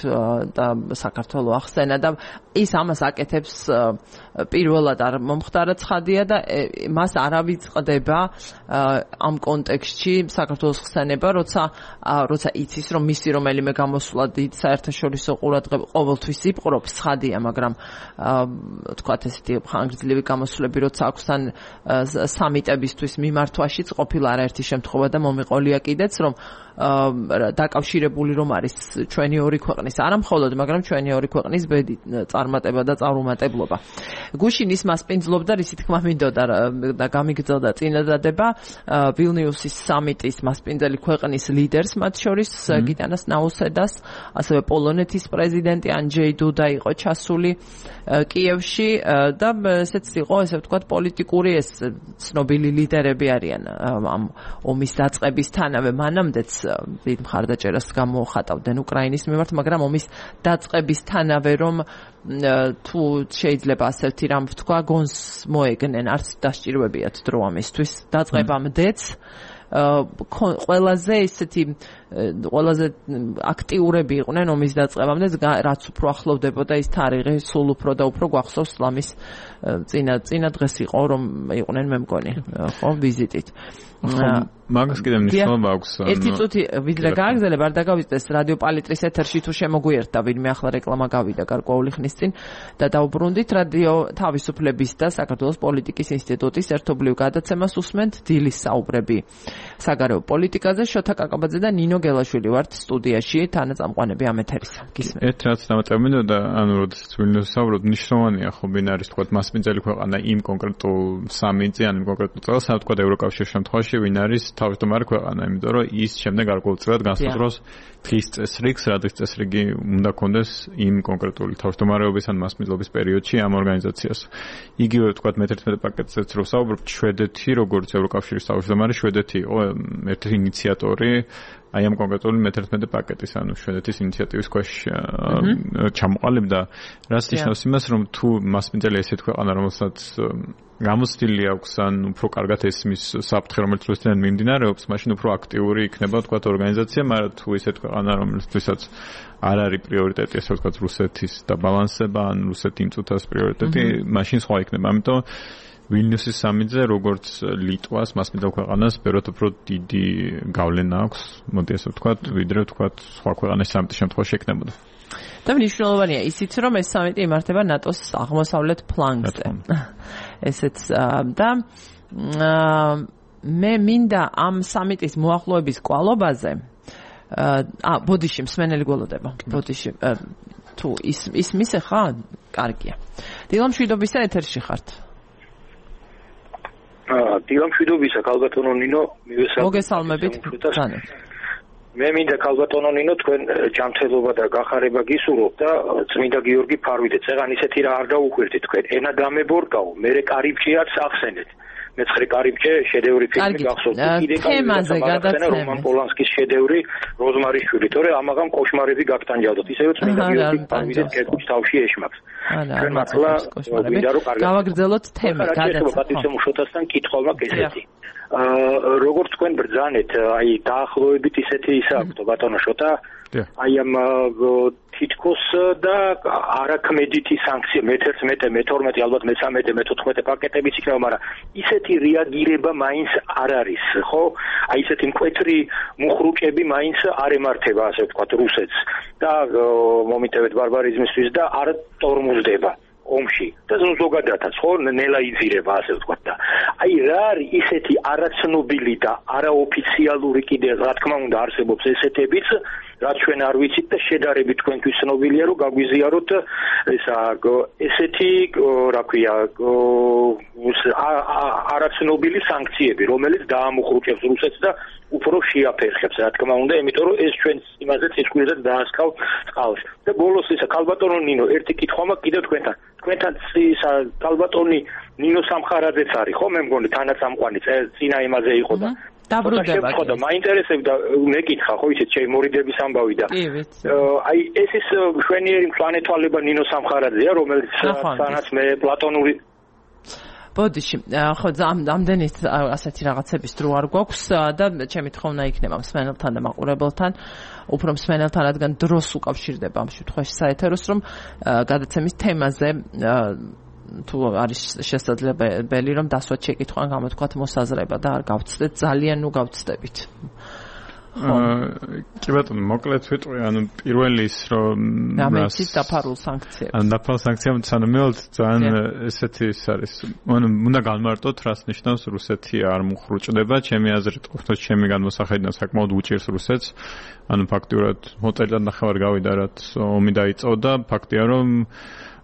და საქართველოს ახსენა და ის ამას აკეთებს პირველად არ მომხდარა ცხადია და მას არავის ყდება ამ კონტექსტში საქართველოს ხსენება, როცა როცა იცის რომ მისი რომელიმე გამოსვლა დიდ საერთაშორისო ყურადღებას ყოველთვის იპყრობს, ცხადია, მაგრამ თქვათ ესეთი ხანგრძლივი გამოსვლები როცა აქვს თან სამიტებისთვის მიმართვაშიც ყოფილა არაერთი შემთხვევა და მომიყოლია კიდეც, რომ დაკავშირებული რომ არის ჩვენი ორი ქვეყნის, არა მხოლოდ, მაგრამ ჩვენი ორი ქვეყნის ბედი, წარმატება და წარუმატებლობა. გუშინ ის მასპინძლობდა, რისი თქმა მინდოდა და გამიგრძელდა წინადადება ვილნიუსის სამიტის მასპინძელი ქვეყნის ლიდერს, მათ შორის გიტანას ნაუსედას, ასევე პოლონეთის პრეზიდენტი ანჯეი დუდა იყო ჩასული კიევში და ესეც იყო, ესე ვთქვათ, პოლიტიკური ეს ცნობილი ლიდერები არიან ამ ომის დაწყებისთანავე, მანამდეც დიდ მხარდაჭერას გამოხატავდნენ უკრაინის მიმართ, მაგრამ ომის დაწყებისთანავე რომ თუ შეიძლება ასეთი რამ ვთქვა, გონს მოეგნენ, არც დასჭირვებიათ დრო ამისთვის, დაწყებამდეც ყველაზე ისეთი ყველაზე აქტიურები იყვნენ ომის დაწყებამდე, რაც უფრო ახლოვდებოდა ის თარიღი, სულ უფრო და უფრო გვახსოვს ლამის წინა წინა დღეს იყო, რომ იყვნენ მე მგონი, ხო, ვიზიტით. მაგას კიდევ მნიშვნელობა აქვს. ერთი წუთი ვიდრე გააგზელებ, არ დაგავიწყდეს რადიო პალიტრის ეთერში თუ შემოგვიერთდა ვინმე, ახლა რეკლამა გავიდა გარკვეული ხნის წინ და დავუბრუნდით რადიო თავისუფლების და საქართველოს პოლიტიკის ინსტიტუტის ერთობლივ გადაცემას უსმენთ დილის საუბრები საგარეო პოლიტიკაზე, შოთა კაკაბაძე და ნინო გელაშვილი ვართ სტუდიაში, თანაწამყვანები ამ ეთერისა. გისმენთ. ერთ რაც დამატებმინოდა, ანუ როდესაც ვილნიუსს ვსაუბრობ, მნიშვნელოვანია ხო ბინარის თქვა მასპინძელი ქვეყანა იმ კონკრეტულ სამინწე ან იმ კონკრეტულ წელს, ამ თქვა ევროკავშირის შემთხვევაში ვინ არის თავმჯდომარე ქვეყანა, იმიტომ რომ ის შემდეგ გარკვეულწილად განსაზღვრავს დღის წესრიგს, რადგან წესრიგი უნდა კონდეს იმ კონკრეტული თავმჯდომარეობის ან მასპინძლობის პერიოდში ამ ორგანიზაციას. იგივე თქვა მეთერთმეტე პაკეტზეც რო ვსაუბრობ, შვედეთი როგორც ევროკავშირის თავმჯდომარე, შვედეთი იყო ერთ-ერთი ინიციატორი აი ამ კონკრეტული მეთერთმეტე პაკეტის, ანუ შვედეთის ინიციატივის ქვეშ ჩამოყალიბდა, რაც ნიშნავს იმას, რომ თუ მასპინძელი ესეთ ქვეყანა, რომელსაც გამოცდილი აქვს ან უფრო კარგად ესმის საფრთხე, რომელიც რუსეთიდან მიმდინარეობს, მაშინ უფრო აქტიური იქნება თქვა ორგანიზაცია, მაგრამ თუ ესეთ ქვეყანა, რომელთვისაც არ არის პრიორიტეტი, ესე ვთქვათ, რუსეთის დაბალანსება ან რუსეთი იმწუთას პრიორიტეტი, მაშინ სხვა იქნება. ამიტომ ვილნიუსის სამინძე როგორც ლიტვას, მასპინძელ ქვეყანას, ბევრად უფრო დიდი გავლენა აქვს, მოდი ასე ვთქვათ, ვიდრე ვთქვათ, სხვა ქვეყანას სამიტის შემთხვევაში ექნებოდა. და მნიშვნელოვანია ისიც, რომ ეს სამიტი იმართება ნატოს აღმოსავლეთ ფლანგზე. ესეც და მე მინდა ამ სამიტის მოახლოების კვალობაზე ა ბოდიში მსმენელი გველოდება. ბოდიში თუ ის ისმის ხა? კარგია. დილამშვიდობისა ეთერში ხართ. აა დილამშვიდობისა ქალბატონო ნინო, მივესალმებით. მოგესალმებით. განეთ. მე მინდა ქალბატონო ნინო თქვენ ჯანმრთელობა და გახარება გისურვებ და წმინდა გიორგი ფარვიდეთ. წეგან ისეთი რა არ დაუხვირდით თქვენ. ენა დამებორკაო, მე კარიბჭეაც ახსენეთ. მეცხრე კარიბჭე შედევრი ფილმი გახსოვთ. კიდე თემაზე გადაცემა. რომან პოლანსკის შედევრი როზმარიშვილი, თორე ამაღამ კოშმარები გაგტანჯავდოთ. ისევ წმინდა გიორგი ფარვიდეთ კერკუჩ თავში ეშმაკს. არა, არ მართლა კოშმარები. გავაგრძელოთ თემა, გადაცემა. პატრიცემუშოთასთან კითხვა მაქვს ესეთი. აა როგორც თქვენ ბრძანეთ, აი დაახლოებით ისეთი ისა აქვს ბატონო შოთა. აი ამ თითქოს და არაქმედითი სანქცია მეთერთმეტე, მეთორმეტე, ალბათ მეთორმეტე, მეთოთხმეტე პაკეტებიც იქნება, მაგრამ ისეთი რეაგირება მაინც არ არის, ხო? აი ისეთი მკვეთრი მუხრუჭები მაინც არ ემართება, ასე ვთქვათ, რუსეთს და მომიტევეთ ბარბარიზმისთვის და არ ტორმუზდება ომში და ზოგადადაც ხო ნელა იძირება, ასე ვთქვათ და აი რა არის ისეთი არაცნობილი და არაოფიციალური კიდე რა თქმა უნდა არსებობს ესეთებიც, რაც ჩვენ არ ვიცით და შედარებით თქვენთვის ცნობილია, რომ გაგვიზიაროთ ესა ესეთი რა ქვია არაცნობილი სანქციები, რომელიც დაამუხრუჭებს რუსეთს და უფრო შეაფერხებს, რა თქმა უნდა, იმიტომ რომ ეს ჩვენ იმაზე წისკვილად დაასკავ წყალს. და ბოლოს ისა ქალბატონო ნინო, ერთი კითხვა მაქვს კიდევ თქვენთან. თქვენთან ისა ქალბატონი ნინო სამხარაძეც არის, ხო, მე მგონი თანაწამყვანი წინა იმაზე იყო და დაბრუნდება. ხო და მაინტერესებდა მეკითხა, ხო ისეთ შემორიდების ამბავი და აი ეს ის შვენიერი მწვანეთვალება ნინო სამხარაძეა, რომელიც სანაც მე პლატონური ბოდიში, ხო, ამდენი ასეთი რაღაცების დრო არ გვაქვს და ჩემი თხოვნა იქნება მსმენელთან და მაყურებელთან, უფრო მსმენელთან, რადგან დროს უკავშირდება ამ შემთხვევაში საეთეროს, რომ გადაცემის თემაზე თუ არის შესაძლებელი, რომ დასვათ შეკითხვა ან გამოთქვათ მოსაზრება და არ გავცდეთ, ძალიან ნუ გავცდებით. კი ბატონო, მოკლედ ვიტყვი, ანუ პირველი ის რომ ამეთით დაფარულ სანქციებს. ანუ დაფარულ სანქციებს თანამედროვე ძალიან ესეთი ის არის. ანუ უნდა განმარტოთ, რას ნიშნავს რუსეთი არ მუხრუჭდება, ჩემი აზრით, ყოფნა ჩემი განმოსახედიდან საკმაოდ უჭირს რუსეთს. ანუ ფაქტურად მოწელად ნახევარი გავიდა, რაც ომი დაიწყო, ფაქტია რომ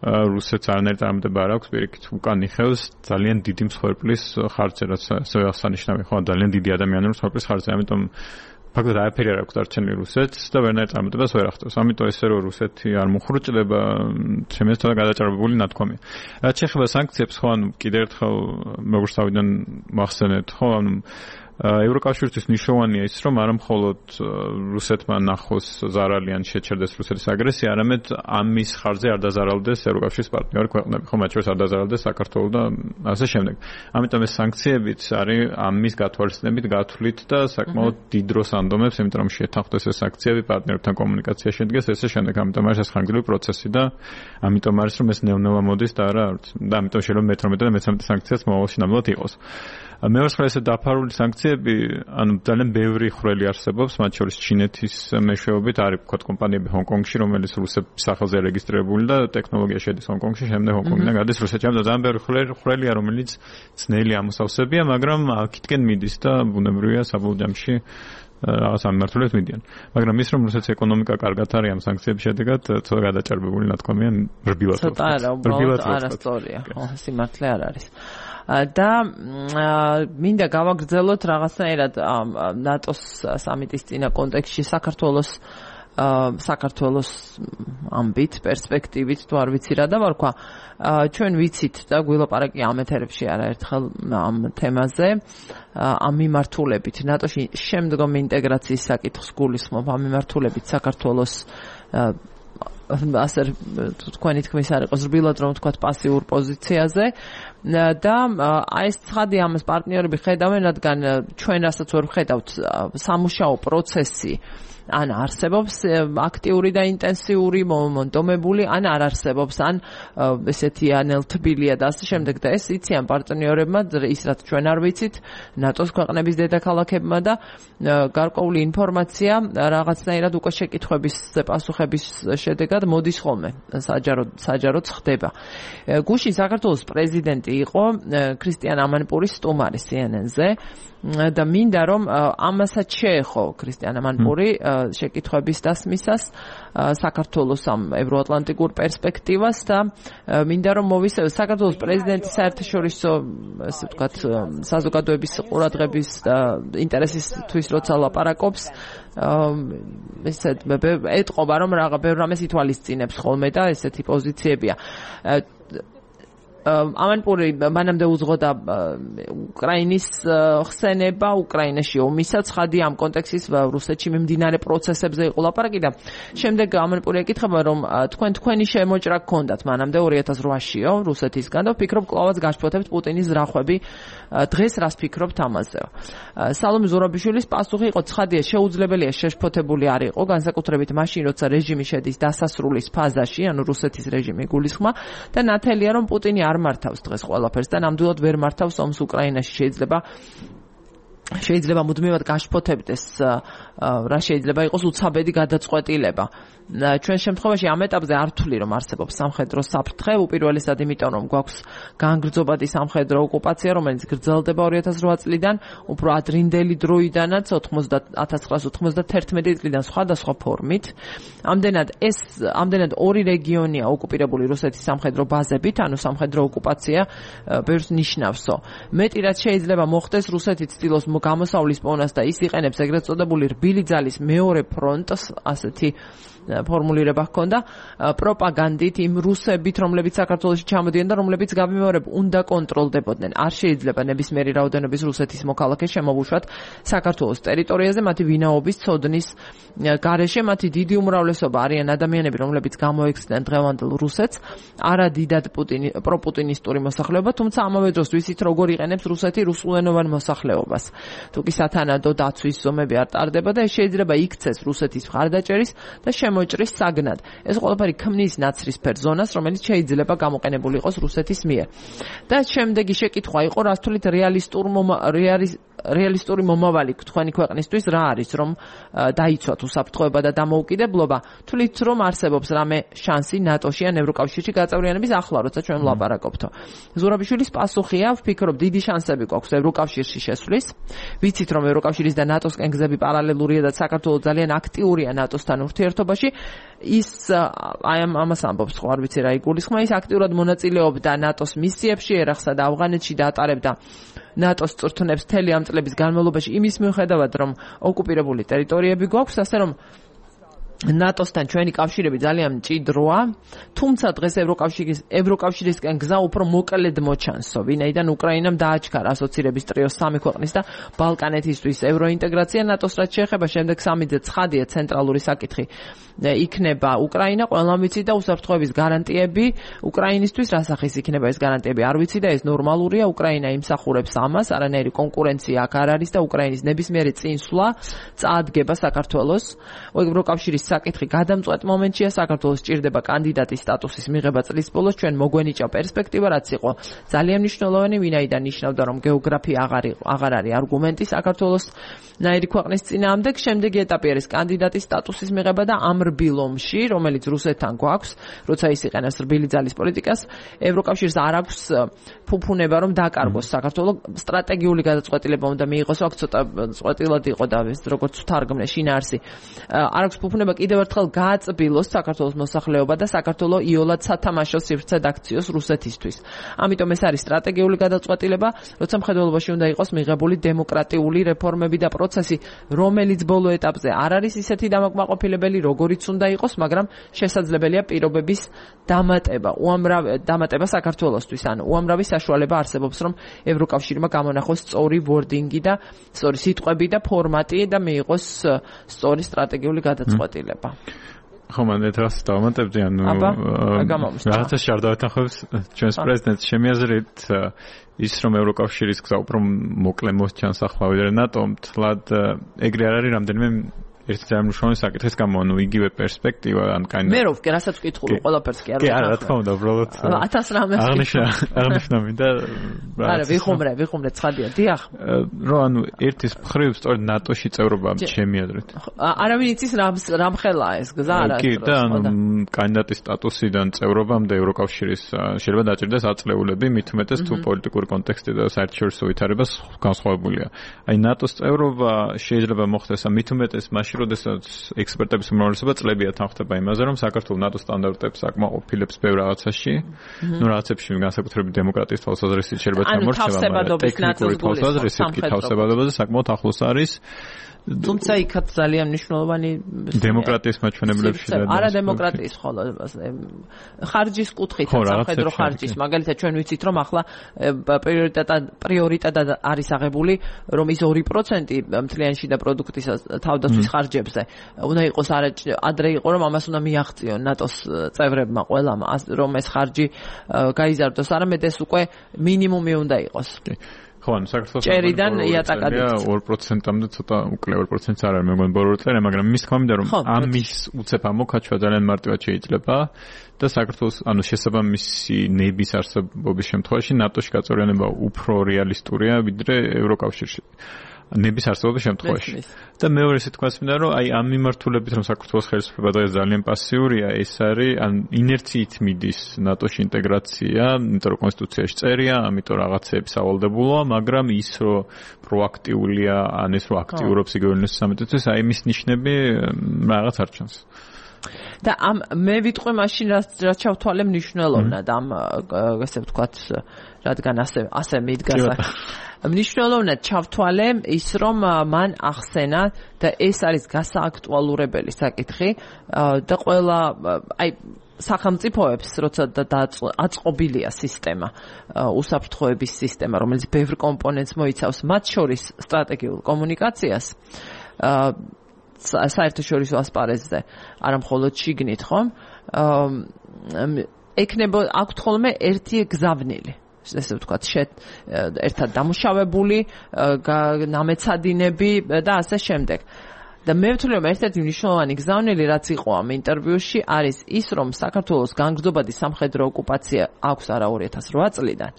რუსეთს არანაირი წარმატება არ აქვს, პირიქით უკან იხევს ძალიან დიდი მსხვერპლის ხარჯზე, რაც ასე აღსანიშნავია, ხო, ძალიან დიდი ადამიანური მსხვერპლის ხარჯზე, ამიტომ ფაქტობრივად არაფერი არ აქვს დარჩენილი რუსეთს და ვერანაირ წარმატებას ვერ ახდენს. ამიტომ ესე რომ რუსეთი არ მუხრუჭდება, ჩემი აზრით გადაჭარბებული ნათქვამია. რაც შეეხება სანქციებს, ხო, ანუ კიდევ ერთხელ როგორც თავიდან მახსენეთ, ხო, ანუ ევროკავშირისთვის მნიშვნელოვანია ის, რომ არა მხოლოდ რუსეთმა ნახოს ზარალი ან შეჩერდეს რუსეთის აგრესია, არამედ ამის ხარჯზე არ დაზარალდეს ევროკავშირის პარტნიორი ქვეყნები, ხო, მათ შორის არ დაზარალდეს საქართველო და ასე შემდეგ. ამიტომ ეს სანქციებიც არის ამის გათვალისწინებით გათვლით და საკმაოდ დიდ დროს ანდომებს, იმიტომ რომ შეთანხმდეს ეს სანქციები, პარტნიორებთან კომუნიკაცია შედგეს, ესე შემდეგ. ამიტომ არის ეს ხანგრძლივი პროცესი და ამიტომ არის რომ ეს ნევნევა მოდის და არა და ამიტომ შეიძლება მეთორმეტე და მეთორმეტე სანქციაც მოვალში ნამდვილად იყოს. მეორე ხარ ესე დაფარული სანქციები, ანუ ძალიან ბევრი ხვრელი არსებობს, მათ შორის ჩინეთის მეშვეობით არის ვთქვათ კომპანიები ჰონკონგში, რომელიც რუსეთის სახელზე რეგისტრირებული და ტექნოლოგია შედის ჰონკონგში, შემდეგ ჰონკონგიდან გადის რუსეთში. ამიტომ ძალიან ბევრი ხვრელია, რომელიც ძნელი ამოსავსებია, მაგრამ აქეთკენ მიდის და ბუნებრივია საბოლოო ჯამში რაღაც ამმართველებს მიდიან. მაგრამ ის რომ რუსეთის ეკონომიკა კარგად არის ამ სანქციების შედეგად ცოტა გადაჭარბებული ნათქვამია რბილად. ცოტა არა, უბრალოდ არასწორია. ხო, სიმართლე არ არის. და მინდა გავაგრძელოთ რაღაცნაირად ნატოს სამიტის წინა კონტექსტში საქართველოს საქართველოს ამბით, პერსპექტივით, თუ არ ვიცი რა დავარქვა. ჩვენ ვიცით და გვილაპარაკი ამ ეთერებში არაერთხელ ამ თემაზე, ამ მიმართულებით ნატოში შემდგომი ინტეგრაციის საკითხს გულისხმობ, ამ მიმართულებით საქართველოს ასე თქვენი თქმის არ იყოს რბილად რომ ვთქვათ პასიურ პოზიციაზე და აი ეს ცხადი ამას პარტნიორები ხედავენ, რადგან ჩვენ რასაც ვერ ვხედავთ სამუშაო პროცესი ან არსებობს აქტიური და ინტენსიური მომონტომებული, ან არ არსებობს, ან ესეთი ანელთბილია და ასე შემდეგ და ეს იციან პარტნიორებმა, ის რაც ჩვენ არ ვიცით, ნატოს ქვეყნების დედაქალაქებმა და გარკვეული ინფორმაცია რაღაცნაირად უკვე შეკითხვების პასუხების შედეგად მოდის ხოლმე, საჯაროდ საჯაროდ ხდება. გუშინ საქართველოს პრეზიდენტი იყო ქრისტიან ამანპური სტუმარი C N N-ზე და მინდა რომ ამასაც შეეხო ქრისტიან ამანპური შეკითხვების დასმისას საქართველოს ამ ევროატლანტიკურ პერსპექტივას და მინდა რომ მოვისწრებ საქართველოს პრეზიდენტის საერთაშორისო ასე ვთქვათ საზოგადოების ყურადღების და ინტერესისთვის როცა ლაპარაკობს ესეთ ეტყობა რომ რაღა ბევრ რამეს ითვალისწინებს ხოლმე და ესეთი პოზიციებია. ამანპური მანამდე უძღოდა უკრაინის ხსენება, უკრაინაში ომისა ცხადი ამ კონტექსტის რუსეთში მიმდინარე პროცესებზე იყო ლაპარაკი და შემდეგ ამანპური ეკითხება რომ თქვენ თქვენი შემოჭრა გქონდათ მანამდე ორი ათას რვაშიო რუსეთისგან და ვფიქრობ კლავაც გაშფოთებთ პუტინის ზრახვები დღეს რას ფიქრობთ ამაზე. სალომე ზურაბიშვილის პასუხი იყო ცხადია შეუძლებელია შეშფოთებული არ იყო განსაკუთრებით მაშინ როცა რეჟიმი შედის დასასრულის ფაზაში, ანუ რუსეთის რეჟიმი გულისხმა და ნათელია რომ პუტინი არ მართავს დღეს ყველაფერს და ნამდვილად ვერ მართავს ომს უკრაინაში. შეიძლება შეიძლება მუდმივად გაშფოთებდეს რა შეიძლება იყოს უცაბედი გადაწყვეტილება. ჩვენ შემთხვევაში ამ ეტაპზე არ ვთვლი რომ არსებობს სამხედრო საფრთხე, უპირველესად იმიტომ რომ გვაქვს განგრძობადი სამხედრო ოკუპაცია, რომელიც გრძელდება ორი ათას რვა წლიდან, უფრო ადრინდელი დროიდანაც ათას ცხრაასა ოცდაათერთმეტი წლიდან სხვადასხვა ფორმით. ამდენად ეს ამდენად ორი რეგიონია ოკუპირებული რუსეთის სამხედრო ბაზებით, ანუ სამხედრო ოკუპაცია ბევრს ნიშნავსო. მეტი რაც შეიძლება მოხდეს, რუსეთი ცდილობს გამოსავლის პონას და ის იყენებს ეგრეთ წოდებული რბილი ძალის მეორე ფრონტს, ასეთი ფორმულირება ჰქონდა პროპაგანდით იმ რუსებით, რომლებიც საქართველოში ჩამოდიან და რომლებიც გამიმეორებ უნდა კონტროლდებოდნენ. არ შეიძლება ნებისმიერი რაოდენობის რუსეთის მოქალაქე შემოვუშვათ საქართველოს ტერიტორიაზე, მათი ვინაობის ცოდნის გარეშე. მათი დიდი უმრავლესობა არიან ადამიანები, რომლებიც გამოექცნენ დღევანდელ რუსეთს, არა დიდად პუტინი პროპუტინისტური მოსახლეობა, თუმცა ამავე დროს ვიცით როგორ იყენებს რუსეთი რუსულენოვან მოსახლეობას. თუკი სათანადო დაცვის ზომები არ ტარდება და ეს შეიძლება იქცეს რუსეთის მხარდაჭერის და შემოჭრის საგნად. ეს ყველაფერი ქმნის ნაცრისფერ ზონას, რომელიც შეიძლება გამოყენებული იყოს რუსეთის მიერ. და შემდეგი შეკითხვა იყო, რას თვლით რეალისტურ რეალისტური მომავალი თქვენი ქვეყნისთვის რა არის, რომ დაიცვათ უსაფრთხოება და დამოუკიდებლობა. თვლით რომ არსებობს რამე შანსი ნატოში ან ევროკავშირში გაწევრიანების ახლა, როცა ჩვენ ვლაპარაკობთო. ზურაბიშვილის პასუხია, ვფიქრობ დიდი შანსები გვაქვს ევროკავშირში შესვლის. ვიცით რომ ევროკავშირის და ნატოსკენ გზები პარალელურია და საქართველოს ძალიან აქტიურია ნატოსთან ურთიერთობაში. ის აი ამას ამბობს, ხო არ ვიცი რა იგულისხმა, ის აქტიურად მონაწილეობდა ნატოს მისიებში ერახსა და ავღანეთში და ატარებდა ნატოს წვრთნებს მთელი ამ წლების განმავლობაში იმის მიუხედავად რომ ოკუპირებული ტერიტორიები გვაქვს, ასე რომ ნატოსთან ჩვენი კავშირები ძალიან მჭიდროა, თუმცა დღეს ევროკავშირის ევროკავშირისკენ გზა უფრო მოკლედ მოჩანსო, ვინაიდან უკრაინამ დააჩქარა ასოცირების ტრიოს სამი ქვეყნის და ბალკანეთისთვის ევროინტეგრაცია. ნატოს რაც შეეხება შემდეგ სამიძე ცხადია ცენტრალური საკითხი იქნება უკრაინა, ყველამ ვიცი და უსაფრთხოების გარანტიები უკრაინისთვის რა სახის იქნება ეს გარანტიები არ ვიცი და ეს ნორმალურია. უკრაინა იმსახურებს ამას, არანაირი კონკურენცია აქ არ არის და უკრაინის ნებისმიერი წინსვლა წაადგება საქართველოს. ევროკავშირის საკითხი გადამწყვეტ მომენტშია, საქართველოს სჭირდება კანდიდატის სტატუსის მიღება წლის ბოლოს. ჩვენ მოგვენიჭა პერსპექტივა, რაც იყო ძალიან მნიშვნელოვანი, ვინაიდან ნიშნავდა რომ გეოგრაფია აღარ აღარ არის არგუმენტი საქართველოს ნაირი ქვეყნის წინააღმდეგ. შემდეგი ეტაპი არის კანდიდატის სტატუსის მიღება და ამ რბილ ომში, რომელიც რუსეთთან გვაქვს, როცა ის იყენებს რბილი ძალის პოლიტიკას, ევროკავშირს არ აქვს ფუფუნება რომ დაკარგოს საქართველოს სტრატეგიული გადაწყვეტილება უნდა მიიღოს, აქ ცოტა წვეტილად იყო და ეს როგორც თარგმნე შინაარსი. არ აქვს ფუფუნება კიდევ ერთხელ გააწბილოს საქართველოს მოსახლეობა და საქართველოს იოლად სათამაშო სივრცედ აქციოს რუსეთისთვის. ამიტომ ეს არის სტრატეგიული გადაწყვეტილება, როცა მხედველობაში უნდა იყოს მიღებული დემოკრატიული რეფორმები და პროცესი, რომელიც ბოლო ეტაპზე არ არის ისეთი დამაკმაყოფილებელი, როგორიც უნდა იყოს, მაგრამ შესაძლებელია პირობების დამატება, უამრავი დამატება საქართველოსთვის, ანუ უამრავი საშუალება არსებობს, რომ ევროკავშირმა გამონახოს სწორი ვორდინგი და სწორი სიტყვები და ფორმატი და მიიღოს სწორი სტრატეგიული გადაწყვეტილება. ხო, მან ეს დავამატებდი, ანუ რაღაცა შარდავეთახებს ჩვენს პრეზიდენტს შემიაზრეთ ის რომ ევროკავშირის გზა უფრო მოკლე მოსჩანს ახლა ვიდრე ნატომ, თლად ეგრე არ არის რამდენიმე ერთი წარმომშრომელი საკითხის გამო, ანუ იგივე პერსპექტივა, ან კაინდა. მე რო რასაც ვკითხული, ყველაფერს კი არ ვკითხე. კი, არა, რა თქმა უნდა, უბრალოდ ათას რამეს აღნიშნა, აღნიშნა მინდა. არა, ვიხუმრე, ვიხუმრე, ცხადია, დიახ. რო ანუ ერთის მხრივ სწორედ ნატოში წევრობა ჩემი აზრით. არავინ იცის რამ რამ ხელაა ეს გზა არა. კი, და ანუ კანდიდატის სტატუსიდან წევრობამდე ევროკავშირის შეიძლება დაჭირდეს აწლეულები, მით უმეტეს თუ პოლიტიკური კონტექსტი და საერთაშორისო ვითარება განსხვავებულია. აი ნატოს წევრობა შეიძლება მოხდეს მით უმეტეს მაშინ როდესაც ექსპერტების უმრავლესობა წლებია თანხდება იმაზე, რომ საქართველოს ნატოს სტანდარტებს აკმაყოფილებს ბევრ რაღაცაში, ნუ რაღაცებში განსაკუთრებით დემოკრატიის თვალსაზრისით შეიძლება ჩამორჩება, მაგრამ ტექნიკური თვალსაზრისით კი თავსებადობაზე საკმაოდ ახლოს არის. თუმცა იქაც ძალიან მნიშვნელოვანი დემოკრატიის მაჩვენებლებში და არა დემოკრატიის ხოლო ხარჯის კუთხით სამხედრო ხარჯის მაგალითად ჩვენ ვიცით რომ ახლა პრიორიტეტად პრიორიტეტად არის აღებული რომ ის ორი პროცენტი მთლიანი შიდა პროდუქტის თავდაცვის ხარჯებზე უნდა იყოს ადრე იყო რომ ამას უნდა მიაღწიონ ნატოს წევრებმა ყველამ რომ ეს ხარჯი გაიზარდოს არამედ ეს უკვე მინიმუმი უნდა იყოს ხო, ანუ საქართველოს ჭერიდან იატაკად ორ პროცენტამდე ცოტა უკლე ორ პროცენტს არ არის მეგონი ბოლო წელი, მაგრამ მის თქმა მინდა რომ ამის უცებ ამოქაჩვა ძალიან მარტივად შეიძლება და საქართველოს ანუ შესაბამისი ნების არსებობის შემთხვევაში ნატოში გაწევრიანება უფრო რეალისტურია ვიდრე ევროკავშირში. ნების არსებობის შემთხვევაში. და მეორე სიტყვას მინდა რომ აი ამ მიმართულებით რომ საქართველოს ხელისუფლება დღეს ძალიან პასიურია, ეს არის ან ინერციით მიდის ნატოში ინტეგრაცია, იმიტომ რომ კონსტიტუციაში წერია, ამიტომ რაღაცეებს ავალდებულა, მაგრამ ის რომ პროაქტიულია, ან ეს რომ აქტიურობს იგივე უნივერსიტეტის სამეთეთოს, აი მის ნიშნები რაღაც არ ჩანს. და ამ მე ვიტყვი მაშინ რაც რაც ჩავთვალე მნიშვნელოვნად ამ ესე ვთქვათ რადგან ასე ასე მიდგას მნიშვნელოვნად ჩავთვალე ის რომ მან ახსენა და ეს არის გასააქტუალურებელი საკითხი და ყველა აი სახელმწიფოებს როცა აწყობილია სისტემა უსაფრთხოების სისტემა რომელიც ბევრ კომპონენტს მოიცავს მათ შორის სტრატეგიულ კომუნიკაციას საერთაშორისო ასპარეზზე არა მხოლოდ შიგნით ხომ ეკნება აქვთ ხოლმე ერთი გზავნილი ესე ვთქვათ ერთად დამუშავებული ნამეცადინები და ასე შემდეგ და მე ვთვლი რომ ერთ-ერთი მნიშვნელოვანი გზავნილი რაც იყო ამ ინტერვიუში არის ის რომ საქართველოს განგრძობადი სამხედრო ოკუპაცია აქვს არა ორი ათას რვა წლიდან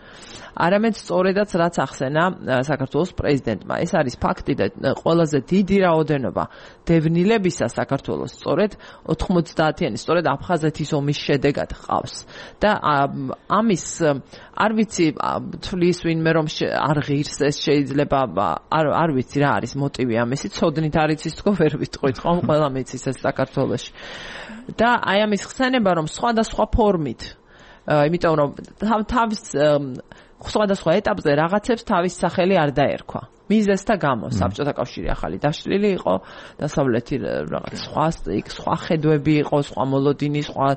არამედ სწორედაც რაც ახსენა საქართველოს პრეზიდენტმა ეს არის ფაქტი და ყველაზე დიდი რაოდენობა დევნილებისა საქართველოს სწორედ ოთხმოცდაათიანი სწორედ აფხაზეთის ომის შედეგად ყავს და ამის არ ვიცი თვლის ვინმე რომ არ ღირს ეს შეიძლება არ არ ვიცი რა არის მოტივი ამისი ცოდნით არ იცის თქო ვერ ვიტყვით ხომ ყველა მიცის ეს საქართველოში და აი ამის ხსენება რომ სხვადასხვა ფორმით იმიტომ რომ თავის სხვადასხვა ეტაპზე რაღაცებს თავის სახელი არ დაერქვა. მიზეზთა გამო საბჭოთა კავშირი ახალი დაშლილი იყო, დასავლეთი რაღაც სხვა სხვა ხედვები იყო, სხვა მოლოდინი, სხვა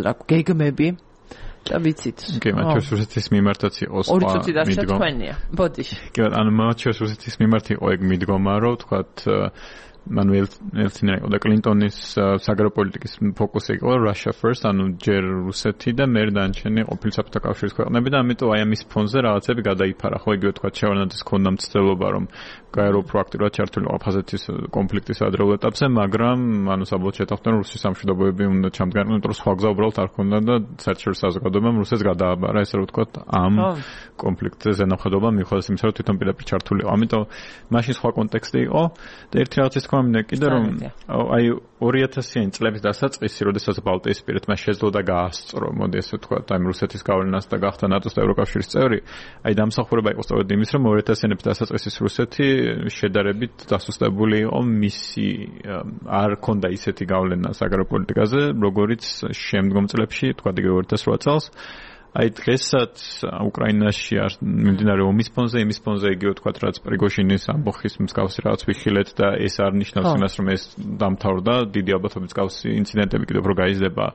რა გეგმები და ვიცით. კი, მათ შორის რუსეთის მიმართაც იყო სხვა მიდგომა. ორი წუთი დარჩა თქვენია. ბოდიში. კი, ანუ მათ შორის რუსეთის მიმართ იყო ეგ მიდგომა, რომ თქვათ მანუელ ელცინა იყო და კლინტონის საგარეო პოლიტიკის ფოკუსი იყო Russia first, ანუ ჯერ რუსეთი და მერე დანარჩენი ყოფილი საბჭოთა კავშირის ქვეყნები და ამიტომ აი ამის ფონზე რაღაცები გადაიფარა. ხო იგივე თქვა ჩევარდნაძის ქონდა მცდელობა რომ გაერო პროაქტიულად ჩართული აფხაზეთის კონფლიქტის ადრეულ ეტაპზე, მაგრამ ანუ საბოლოოდ შეთანხმდნენ რუსეთის სამშვიდობოები უნდა ჩამდგარდნენ, იმიტომ რომ სხვა გზა უბრალოდ არ ქონდა და საერთაშორისო საზოგადოებამ რუსეთს გადააბარა, ესე რომ ვთქვათ, ამ კონფლიქტზე ზენახადობა მიუხედავად იმისა, რომ თვითონ პირდაპირ ჩართული იყო. ამიტომ მაშინ სხვა კონტექსტი იყო და ერთი რაღაცის თქვა მინდა კიდე რომ აი ორი ათასიანი წლების დასაწყისი, როდესაც ბალტიისპირეთმა შეძლო და გაასწრო, მოდი ესე ვთქვათ, აი რუსეთის გავლენას და გახდა ნატოს და ევროკავშირის წევრი, აი დამსახურება იყო სწორედ იმის, რომ ორი ათასიანების დასაწყისის რუსეთი შედარებით დასუსტებული იყო, მისი არ ქონდა ისეთი გავლენა საგარეო პოლიტიკაზე, როგორიც შემდგომ წლებში, თქვა იგივე ორი ათას რვა წელს. აი დღესაც უკრაინაში მიმდინარე ომის ფონზე, იმის ფონზე იგივე თქვა, რაც პრიგოჟინის ამბოხის მსგავსი რაღაც ვიხილეთ და ეს არ ნიშნავს იმას, რომ ეს დამთავრდა, დიდი ალბათობით მსგავსი ინციდენტები კიდევ უფრო გაიზრდება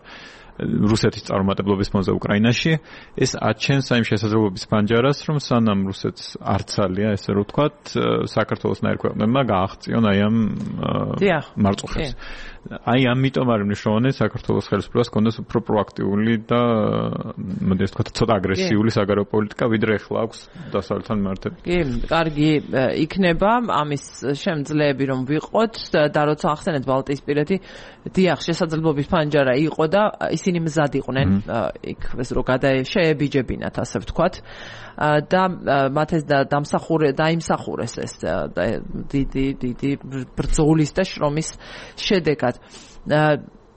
რუსეთის წარუმატებლობის ფონზე უკრაინაში. ეს აჩენს აი შესაძლებლობის პანჯარას, რომ სანამ რუსეთს არცალია, ესე რომ ვთქვათ, საქართველოს ნაირ ქვეყნებმა გააღწიონ აი ამ მარწუხებს. აი ამიტომ არის მნიშვნელოვანი საქართველოს ხელისუფლებას კონდეს უფრო პროაქტიული და მოდი ასე ვთქვათ, ცოტა აგრესიული საგარეო პოლიტიკა, ვიდრე ახლა აქვს დასავლეთთან მიმართებით. კი, კარგი იქნება ამის შემძლეები რომ ვიყოთ და როცა ახსენეთ ბალტიისპირეთი, დიახ, შესაძლებლობის პანჯარა იყო და ისინი მზად იყვნენ იქ ეს რო გადაშეებიჯებინათ, ასე ვთქვათ. და მათ ეს დამსახურე დაიმსახურეს ეს დიდი დიდი ბრძოლის და შრომის შედეგად.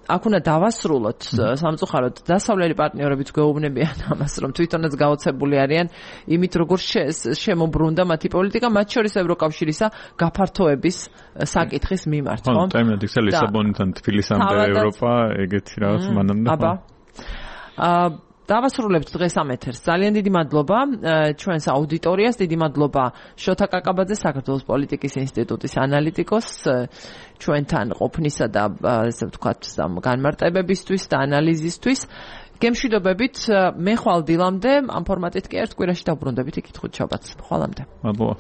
აქ უნდა დავასრულოთ სამწუხაროდ დასავლელი პარტნიორებიც გვეუბნებიან ამას, რომ თვითონაც გაოცებული არიან იმით, როგორ შემოbrunდა მათი პოლიტიკა, მათ შორის ევროკავშირისა გაფართოების საკითხის მიმართ, ხო? ხო, ტაიმად იქცა ლისაბონიდან თბილისამდე ევროპა, ეგეთი რაღაც მანამდე. აბა. აა დავასრულებთ დღეს ამ ეთერს. ძალიან დიდი მადლობა ჩვენს აუდიტორიას, დიდი მადლობა შოთა კაკაბაძე, საქართველოს პოლიტიკის ინსტიტუტის ანალიტიკოს, ჩვენთან ყოფნისა და ესე ვთქვათ, განმარტებებისთვის და ანალიზისთვის. გემშვიდობებით, მე ხვალ დილამდე ამ ფორმატით კი ერთ კვირაში დავბრუნდებით იქით ხუთ შაბათს. ხვალამდე. მადლობა.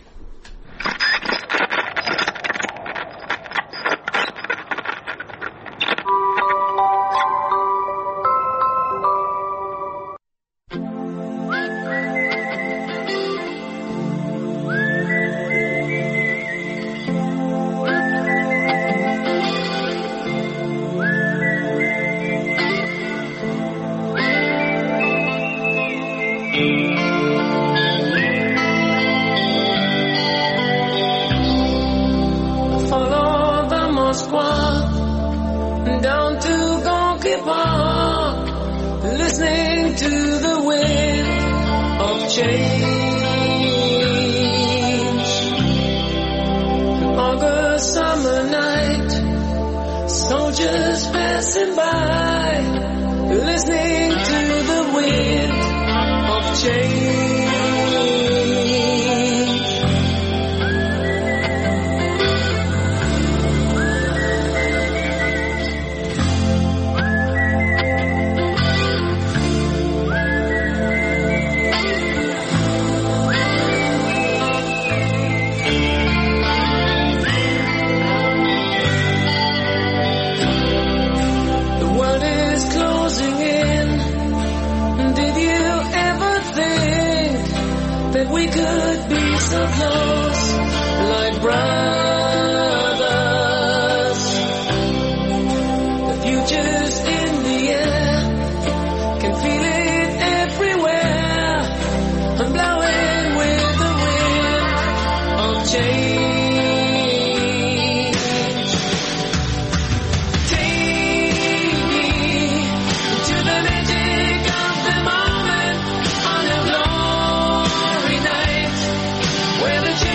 Where the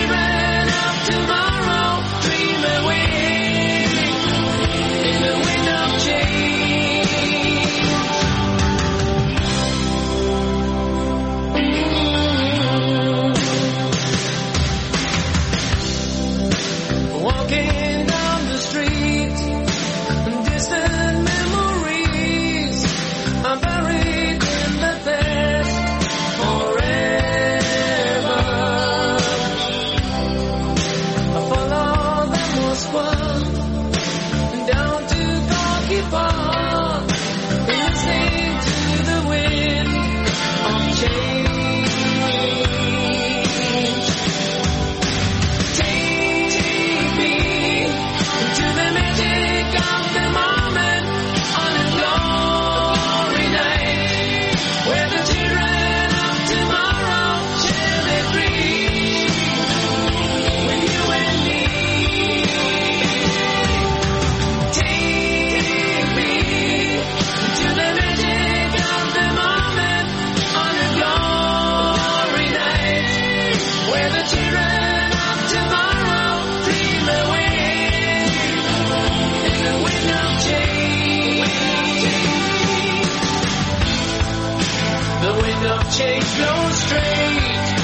change flows straight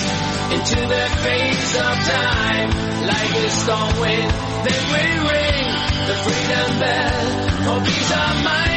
into the face of time. Like a storm wind, then we ring the freedom bell for peace of mind.